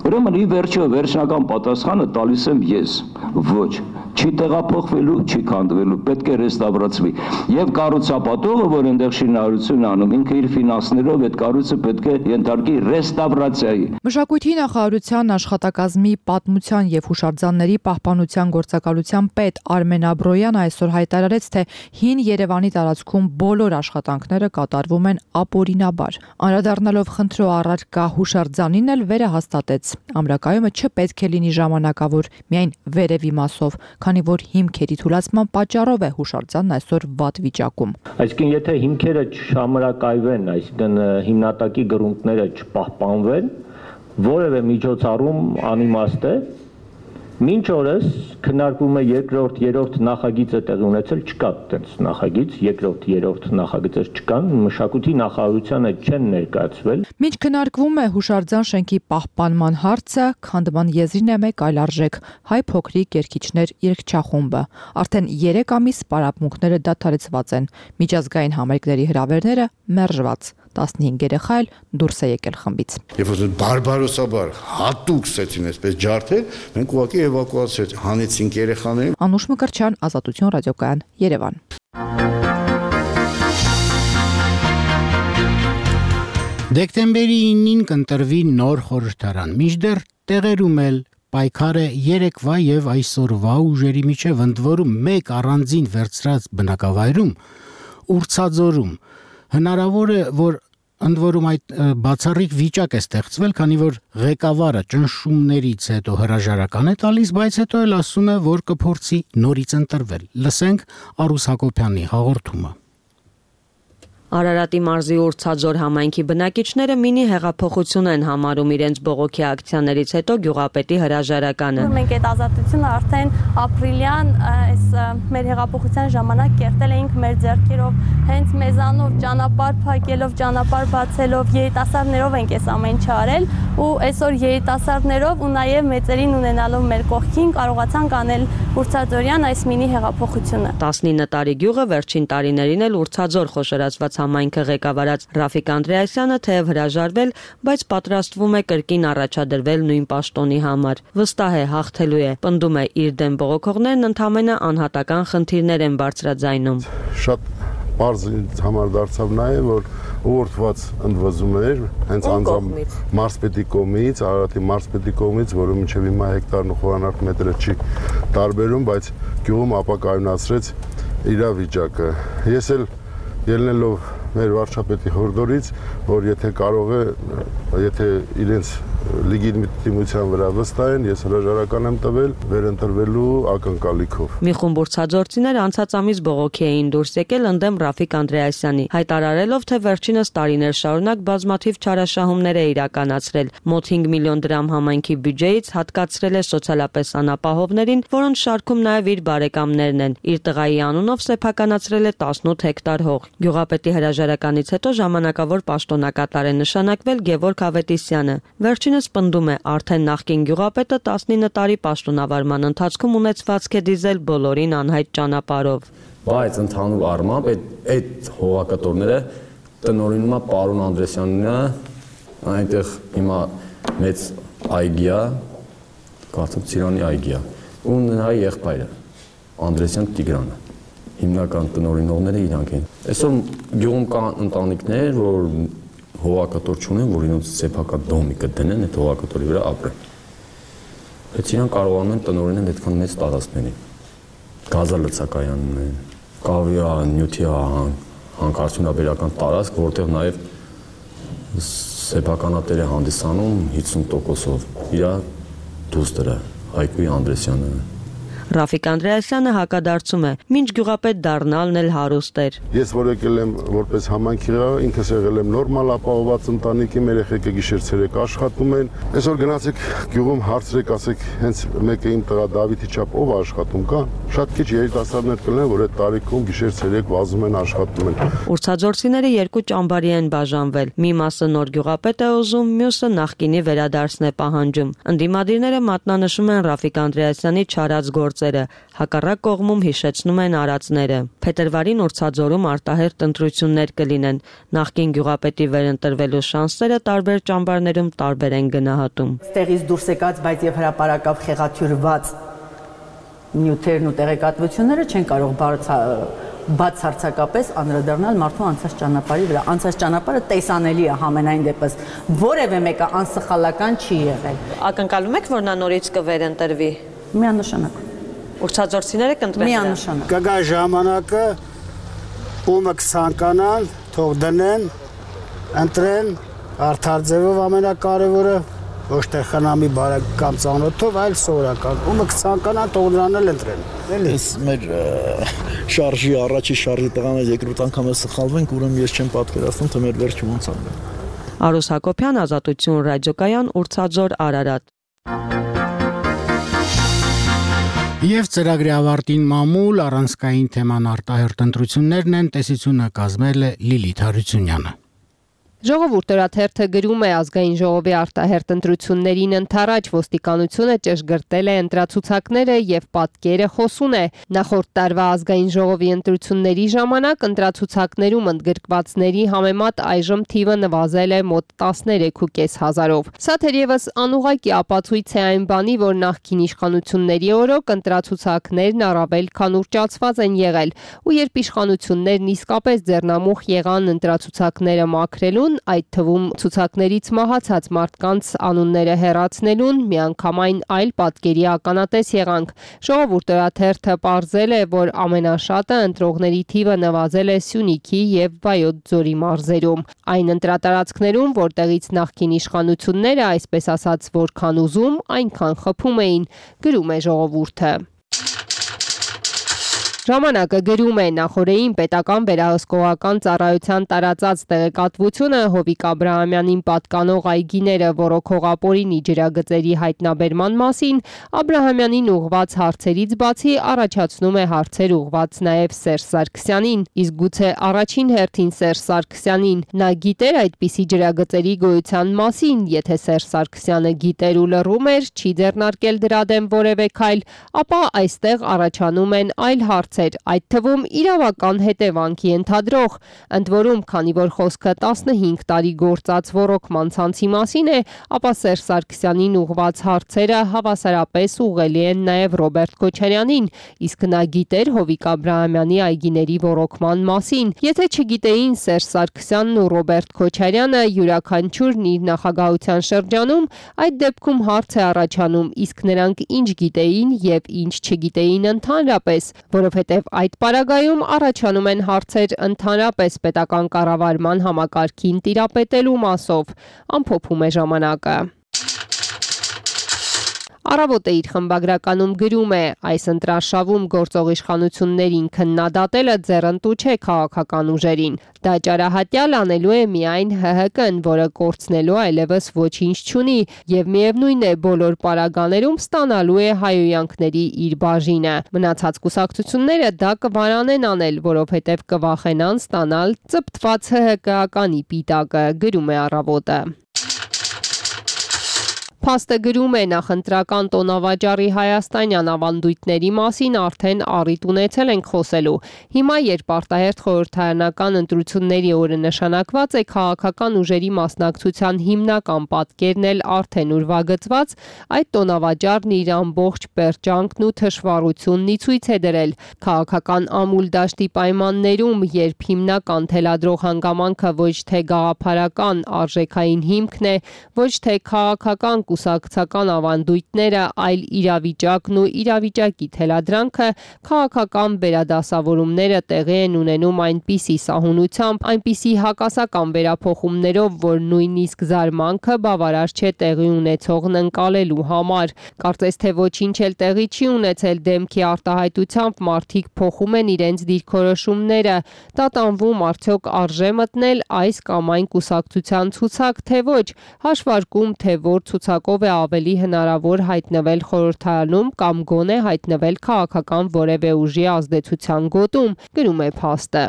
ուրեմն ի վերջո վերջնական պատասխանը տալիս եմ ես։ Ոչ, չի տեղափոխվելու, չի քանդվելու, պետք է ռեստավրացվի։ Եվ կառուցապատողը, որ այնտեղ շինարարություն անում, ինքը իր ֆինանսներով այդ կառույցը պետք է ենթարկի ռեստավրացիայի։ Մշակույթի նախարարության աշխատակազմի պատմության եւ հուշարձանների պահպանության գործակալության պետ Արմեն Աբրոյանը այսօր հայտարարեց, թե Հին Երևանի տարածքում բոլոր աշխատանքները կատարվում են ապօրինաբար։ Անդրադառնալով խնդրո առարկա հուշարձանին էլ վերահաստատեց։ Ամրակայումը չպետք է լինի ժամանակավոր, միայն վերևի մասով, քանի որ հիմքերի թուլացման պատճառով է հուշարձանն այսօր վատ վիճակում։ Այսինքն, եթե հիմքերը չհամրակայվեն, այսինքն հիմնատակի գրունտները չպահպանվեն, որևէ միջոցառում անիմաստ է, մինչ օրս քննարկվում է երկրորդ, երրորդ նախագիծը տեղի ունեցել, չկա այդպես նախագիծ, երկրորդ, երրորդ նախագիծեր չկան, մշակույթի նախարարությանը չեն ներկայացվել։ Մինչ քննարկվում է հուշարձան շենքի պահպանման հարցը, քանդման եզրին է մեկ այլ արժեք՝ հայ փոքրիկ երգիչներ երգչախումբը։ Արդեն երեք ամիս պարապմունքները դադարեցված են, միջազգային համերգների հրավերները մերժված։ տասնհինգ երեխա էլ դուրս է եկել խմբից։ Երբ որ բարբարոսաբար հատուկ ստեցին այսպես ջարդել, մենք ուղղակի էվակուացիա հանեցինք երեխաներին։ Անուշ Մկրտչյան, Ազատություն ռադիոկայան, Երևան։ Դեկտեմբերի իննին կընտրվի նոր խորհրդարան։ Մինչդեռ տեղերում էլ պայքարը երեկվա եւ այսօրվա ուժերի միջև ընդ որում մեկ առանձին վերծրած բնակավայրում ուրցաձորում հնարավոր է, որ ընդ որում այդ բացառիկ վիճակ է ստեղծվել, քանի որ ղեկավարը ճնշումներից հետո հրաժարական է տալիս, բայց հետո էլ ասում է, որ կփորձի նորից ընտրվել։ Լսենք Արուս Հակոբյանի հաղորդումը։ Արարատի մարզի Ուրցաձոր համայնքի բնակիչները մինի հեղափոխություն են համարում իրենց բողոքի ակցիաներից հետո գյուղապետի հրաժարականը։ Մենք այդ ազատությունը արդեն ապրիլյան այս մեր հեղափոխության ժամանակ կերտել էինք մեր ձեռքերով, հենց մեզանով ճանապարհ փակելով, ճանապարհ բացելով, երիտասարդներով ենք այս ամեն ինչը արել ու այսօր երիտասարդներով ու նաև մեծերին ունենալով մեր կողքին կարողացանք անել Ուրցաձորյան այս մինի հեղափոխությունը։ տասնինը տարի գյուղը վերջին տարիներին էլ Ուրցաձոր խոշորացված համայնքը ղեկավարած Ռաֆիկ Անդրեասյանը թեև հրաժարվել, բայց պատրաստվում է կրկին առաջադրվել նույն պաշտոնի համար։ Վստահ է հաղթելու է, պնդում է իր դեմ բողոքողներն ընդամենը անհատական խնդիրներ են բարձրաձայնում։ Շատ բարձ ինձ համար դարձավ նաև, որ ուղղորդված ընդվզում էր հենց անձամբ մարզպետի կողմից, Արարատի մարզպետի կողմից, որը մինչև հիմա հեկտարն ու խորանարդ մետրը չի տարբերում, բայց գյուղում ապակայունացրեց իրավիճակը։ Ես էլ ելնելով մեր վարչապետի հորդորից, որ եթե կարող է, եթե իրենց լեգիտիմության վրա վստահ են, ես հրաժարական եմ տվել վերընտրվելու ակնկալիքով։ Մի խումբ ուրցաձորցիներ անցած ամիս բողոքի էին դուրս եկել ընդդեմ Ռաֆիկ Անդրեասյանի, հայտարարելով, թե վերջինս տարիներ շարունակ բազմաթիվ չարաշահումներ է իրականացրել, մոտ հինգ միլիոն դրամ համայնքի բյուջեից հատկացրել է սոցիալապես անապահովներին, որոնց շարքում նաև իր բարեկամներն են։ Իր տղայի անունով սեփականացրել է տասնութ հեկտար հող։ Գյուղապետի հրաժարականից հետո ժամանակավոր պաշտոնակատար է նշանակվել Գևորգ Ավետիսյանը։ Վերջին Վերջինս պնդում է, արդեն նախկին գյուղապետը տասնինը տարի պաշտոնավարման ընթացքում ունեցվածք է դիզել բոլորին անհայտ ճանապարհով։ Բայց ընդհանուր առմամբ այդ այդ հողակտորները տնօրինում է պարոն Անդրեսյանինը, այնտեղ հիմա մեծ այգի է, կարծեմ Ծիրանի այգի է, ու նրա եղբայրը Անդրեսյան Տիգրանը։ Հիմնական տնօրինողները իրանք են։ Այսօր գյուղում կան ընտանիքներ, որ հողակտոր չունեն, որ իրենց սեփական դոմիկը դնեն, այդ հողակտորի վրա ապրեն։ Բայց իրանք կարողանում են տնօրինել այդքան մեծ տարածքների։ Գազալցակայանն են, կավի նյութի հանքարդյունաբերական տարածք, որտեղ նաև սեփականատեր է հանդիսանում հիսուն տոկոսով իր դուստրը Հայկուի Անդրեսյանը։ Ռաֆիկ Անդրեասյանը հակադարձում է, մինչ գյուղապետ դառնալն էլ հարուստ էր։ Ես որ եկել եմ որպես համայնքիղար, ինքս եղել եմ նորմալ ապահովված ընտանիքի, մեր երեխեքը գիշեր-ցերեկ աշխատում են։ Այսօր գնացեք գյուղում հարցրեք, ասեք, հենց մեկը իմ տղա Դավիթի չափ ով աշխատում կա։ Շատ քիչ երիտասարդներ կլինեն, որ այդ տարիքում գիշեր-ցերեկ վազում են, աշխատում են։ Ուրցաձորցիները երկու ճամբարի են բաժանվել։ Մի մասը նոր գյուղապետ է ուզում, մյուսը նախկինի վերադարձն է պահանջում։ Ընդդիմադիրները մատնանշում են Ռաֆիկ Անդրեասյանի չարած գործ հակառակ կողմում հիշեցնում են արածները։ Փետրվարին Ուրցաձորում արտահերթ ընտրություններ կլինեն։ Նախկին գյուղապետի վերընտրվելու շանսերը տարբեր ճամբարներում տարբեր են գնահատում։ Ստեղից դուրս եկած, բայց եւ հրապարակավ խեղաթյուրված նյութերն ու տեղեկատվությունները չեն կարող բացարձակապես անդրադառնալ մարդու անցած ճանապարհի վրա։ Անցած ճանապարհը տեսանելի է համենայն դեպս։ Որևէ մեկը անսխալական չի եղել։ Ակնկալում եք, որ նա նորից կվերընտրվի։ Միանշանակ։ Ուրցաձորցիները կընտրեն։ Միանշանակ։ Կգա ժամանակը, ումը կցանկանան, թող դնեն, ընտրեն, արդար ձևով ամենակարևորը, ոչ թե խնամի բարեկամ ծանոթով, այլ սովորական։ Ումը կցանկանան, թող նրան էլ ընտրեն։ Ես մեր շարժի առաջի շարժի տղաներ երկրորդ անգամ է սխալվենք, ուրեմն ես չեմ պատկերացնում, թե մեր վերջը ոնց ա։ Արուս Հակոբյան, Ազատություն ռադիոկայան, Ուրցաձոր, Արարատ։ Եվ ծրագրի ավարտին մամուլ առանցքային թեման արտահերթ ընտրություններն են, տեսությունը կազմել է Լիլիթ Հարությունյանը։ Ժողովուրդ օրաթերթը գրում է ազգային ժողովի արտահերթ ընտրություններին ընթരാճ ոստիկանությունը ճշգրտել է ընտրացուցակները եւ պատկերը խոսուն է։ Նախորդ տարվա ազգային ժողովի ընտրությունների ժամանակ ընտրացուցակներում ընդգրկվածների համեմատ այժմ թիվը նվազել է մոտ տասներեք ու կես հազարով։ Սա թերևս անուղղակի ապացույց է այն բանի, որ նախկին իշխանությունների օրոք ընտրացուցակներն առավել քան ուռճացված են եղել, ու երբ իշխանություններն իսկապես ձեռնամուխ եղան ընտրացուցակները մաքրելուն, այդ թվում ցուցակներից մահացած մարդկանց անունները հեռացնելուն, միանգամայն այլ պատկերի ականատես եղանք։ Ժողովուրդ օրաթերթը պարզել է, որ ամենաշատը ընտրողների թիվը նվազել է Սյունիքի եւ Վայոց ձորի մարզերում։ Այն ընտրատարածքներում, որտեղից նախկին իշխանությունները, այսպես ասած, որքան ուզում, այնքան խփում էին, գրում է ժողովուրդը։ Ժամանակը գրում է նախորդին պետական վերահսկողական ծառայության տարածած տեղեկատվությունը Հովիկ Աբրահամյանին պատկանող այգիները ոռոգող ապօրինի ջրագծերի հայտնաբերման մասին Աբրահամյանին ուղղված հարցերից բացի առաջացնում է հարցեր ուղղված նաև Սերժ Սարգսյանին, իսկ գուցե առաջին հերթին Սերժ Սարգսյանին նա գիտեր այդպիսի ջրագծերի գոյության մասին, եթե Սերժ Սարգսյանը գիտեր ու լռում էր, չի ձեռնարկել դրա դեմ որևէ քայլ, ապա այստեղ առաջանում են այլ հարցեր, այդ թվում իրավական հետևանքի ենթադրող, ընդ որում, քանի որ խոսքը տասնհինգ տարի գործած ոռոգման ցանցի մասին է, ապա Սերժ Սարգսյանին ուղղված հարցերը հավասարապես ուղղելի են նաև Ռոբերտ Քոչարյանին, իսկ նա գիտեր Հովիկ Աբրահամյանի այգիների ոռոգման մասին։ Եթե չգիտեին Սերժ Սարգսյանն ու Ռոբերտ Քոչարյանը յուրաքանչյուրն իր նախագահության շրջանում, այդ դեպքում հարց է առաջանում, իսկ նրանք ինչ գիտեին եւ ինչ չգիտեին ընդհանրապես, որովհետեւ այդ պարագայում առաջանում են հարցեր ընդհանրապես պետական կառավարման համակարգին տիրապետելու մասով, ամփոփում է ժամանակը։ Առավոտը իր խմբագրականում գրում է. այս ընտրարշավում գործող իշխանություններին քննադատելը ձեռնտու չէ քաղաքական ուժերին։ Դա ճարահատյալ անելու է միայն Հ Հ Կ-ն, որը կորցնելու այլևս ոչինչ չունի եւ միևնույն է բոլոր պարագաներում ստանալու է հայոյանքների իր բաժինը։ Մնացած կուսակցությունները դա կվարանեն անել, որովհետեւ կվախենան ստանալ ծպտված Հ Հ Կ-ականի պիտակը, գրում է Առավոտը։ Փաստը գրում է նախընտրական տոնավաճառի հայաստանյան ավանդույթների մասին արդեն առիթ ունեցել ենք խոսելու։ Հիմա, երբ արտահերթ խորհրդարանական ընտրությունների օրը նշանակված է, քաղաքական ուժերի մասնակցության հիմնական պատկերն էլ արդեն ուրվագծված, այդ տոնավաճառն իր ամբողջ պերճանքն ու թշվառությունն ի ցույց է դրել։ Քաղաքական ամուլ դաշտի պայմաններում, երբ հիմնական թելադրող հանգամանքը ոչ թե գաղափարական արժեքային հիմքն է, ոչ թե քաղաքական կուսակցական ավանդույթները, այլ իրավիճակն ու իրավիճակի թելադրանքը, քաղաքական վերադասավորումները տեղի են ունենում այնպիսի սահունությամբ, այնպիսի հակասական վերափոխումներով, որ նույնիսկ զարմանքը բավարար չէ տեղի ունեցողն ընկալելու համար։ Կարծես թե ոչինչ էլ տեղի չի ունեցել դեմքի արտահայտությամբ մարդիկ փոխում են իրենց դիրքորոշումները, տատանվում արդյոք արժե մտնել այս կամ այն կուսակցության ցուցակ, թե ոչ, հաշվարկում, թե որ ցուցակով է ավելի հնարավոր հայտնվել խորհրդարանում կամ գոնե հայտնվել քաղաքական որևէ ուժի ազդեցության գոտում, գրում է փաստը։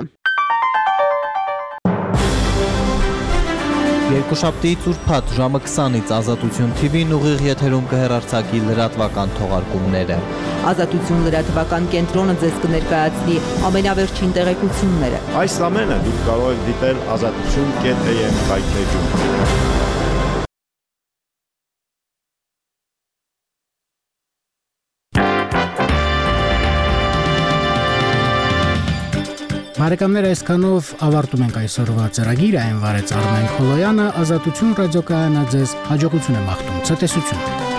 Երկուշաբթիից ուրբաթ ժամը քսանից Ազատություն Թի Վին ուղիղ եթերում կհեռարձակի լրատվական թողարկումները։ Ազատություն լրատվական կենտրոնը ձեզ կներկայացնի ամենավերջին տեղեկությունները։ Այս ամենը դուք կարող եք դիտել ազատություն կետ էյ էմ կայքեջում։ Բարեկամներ, այսքանով ավարտում ենք այսօրվա ծրագիրը, այն վարեց Արմեն Խոլոյանը, Ազատություն ռադիոկայանը ձեզ հաջողություն է մաղթում, ցտեսություն։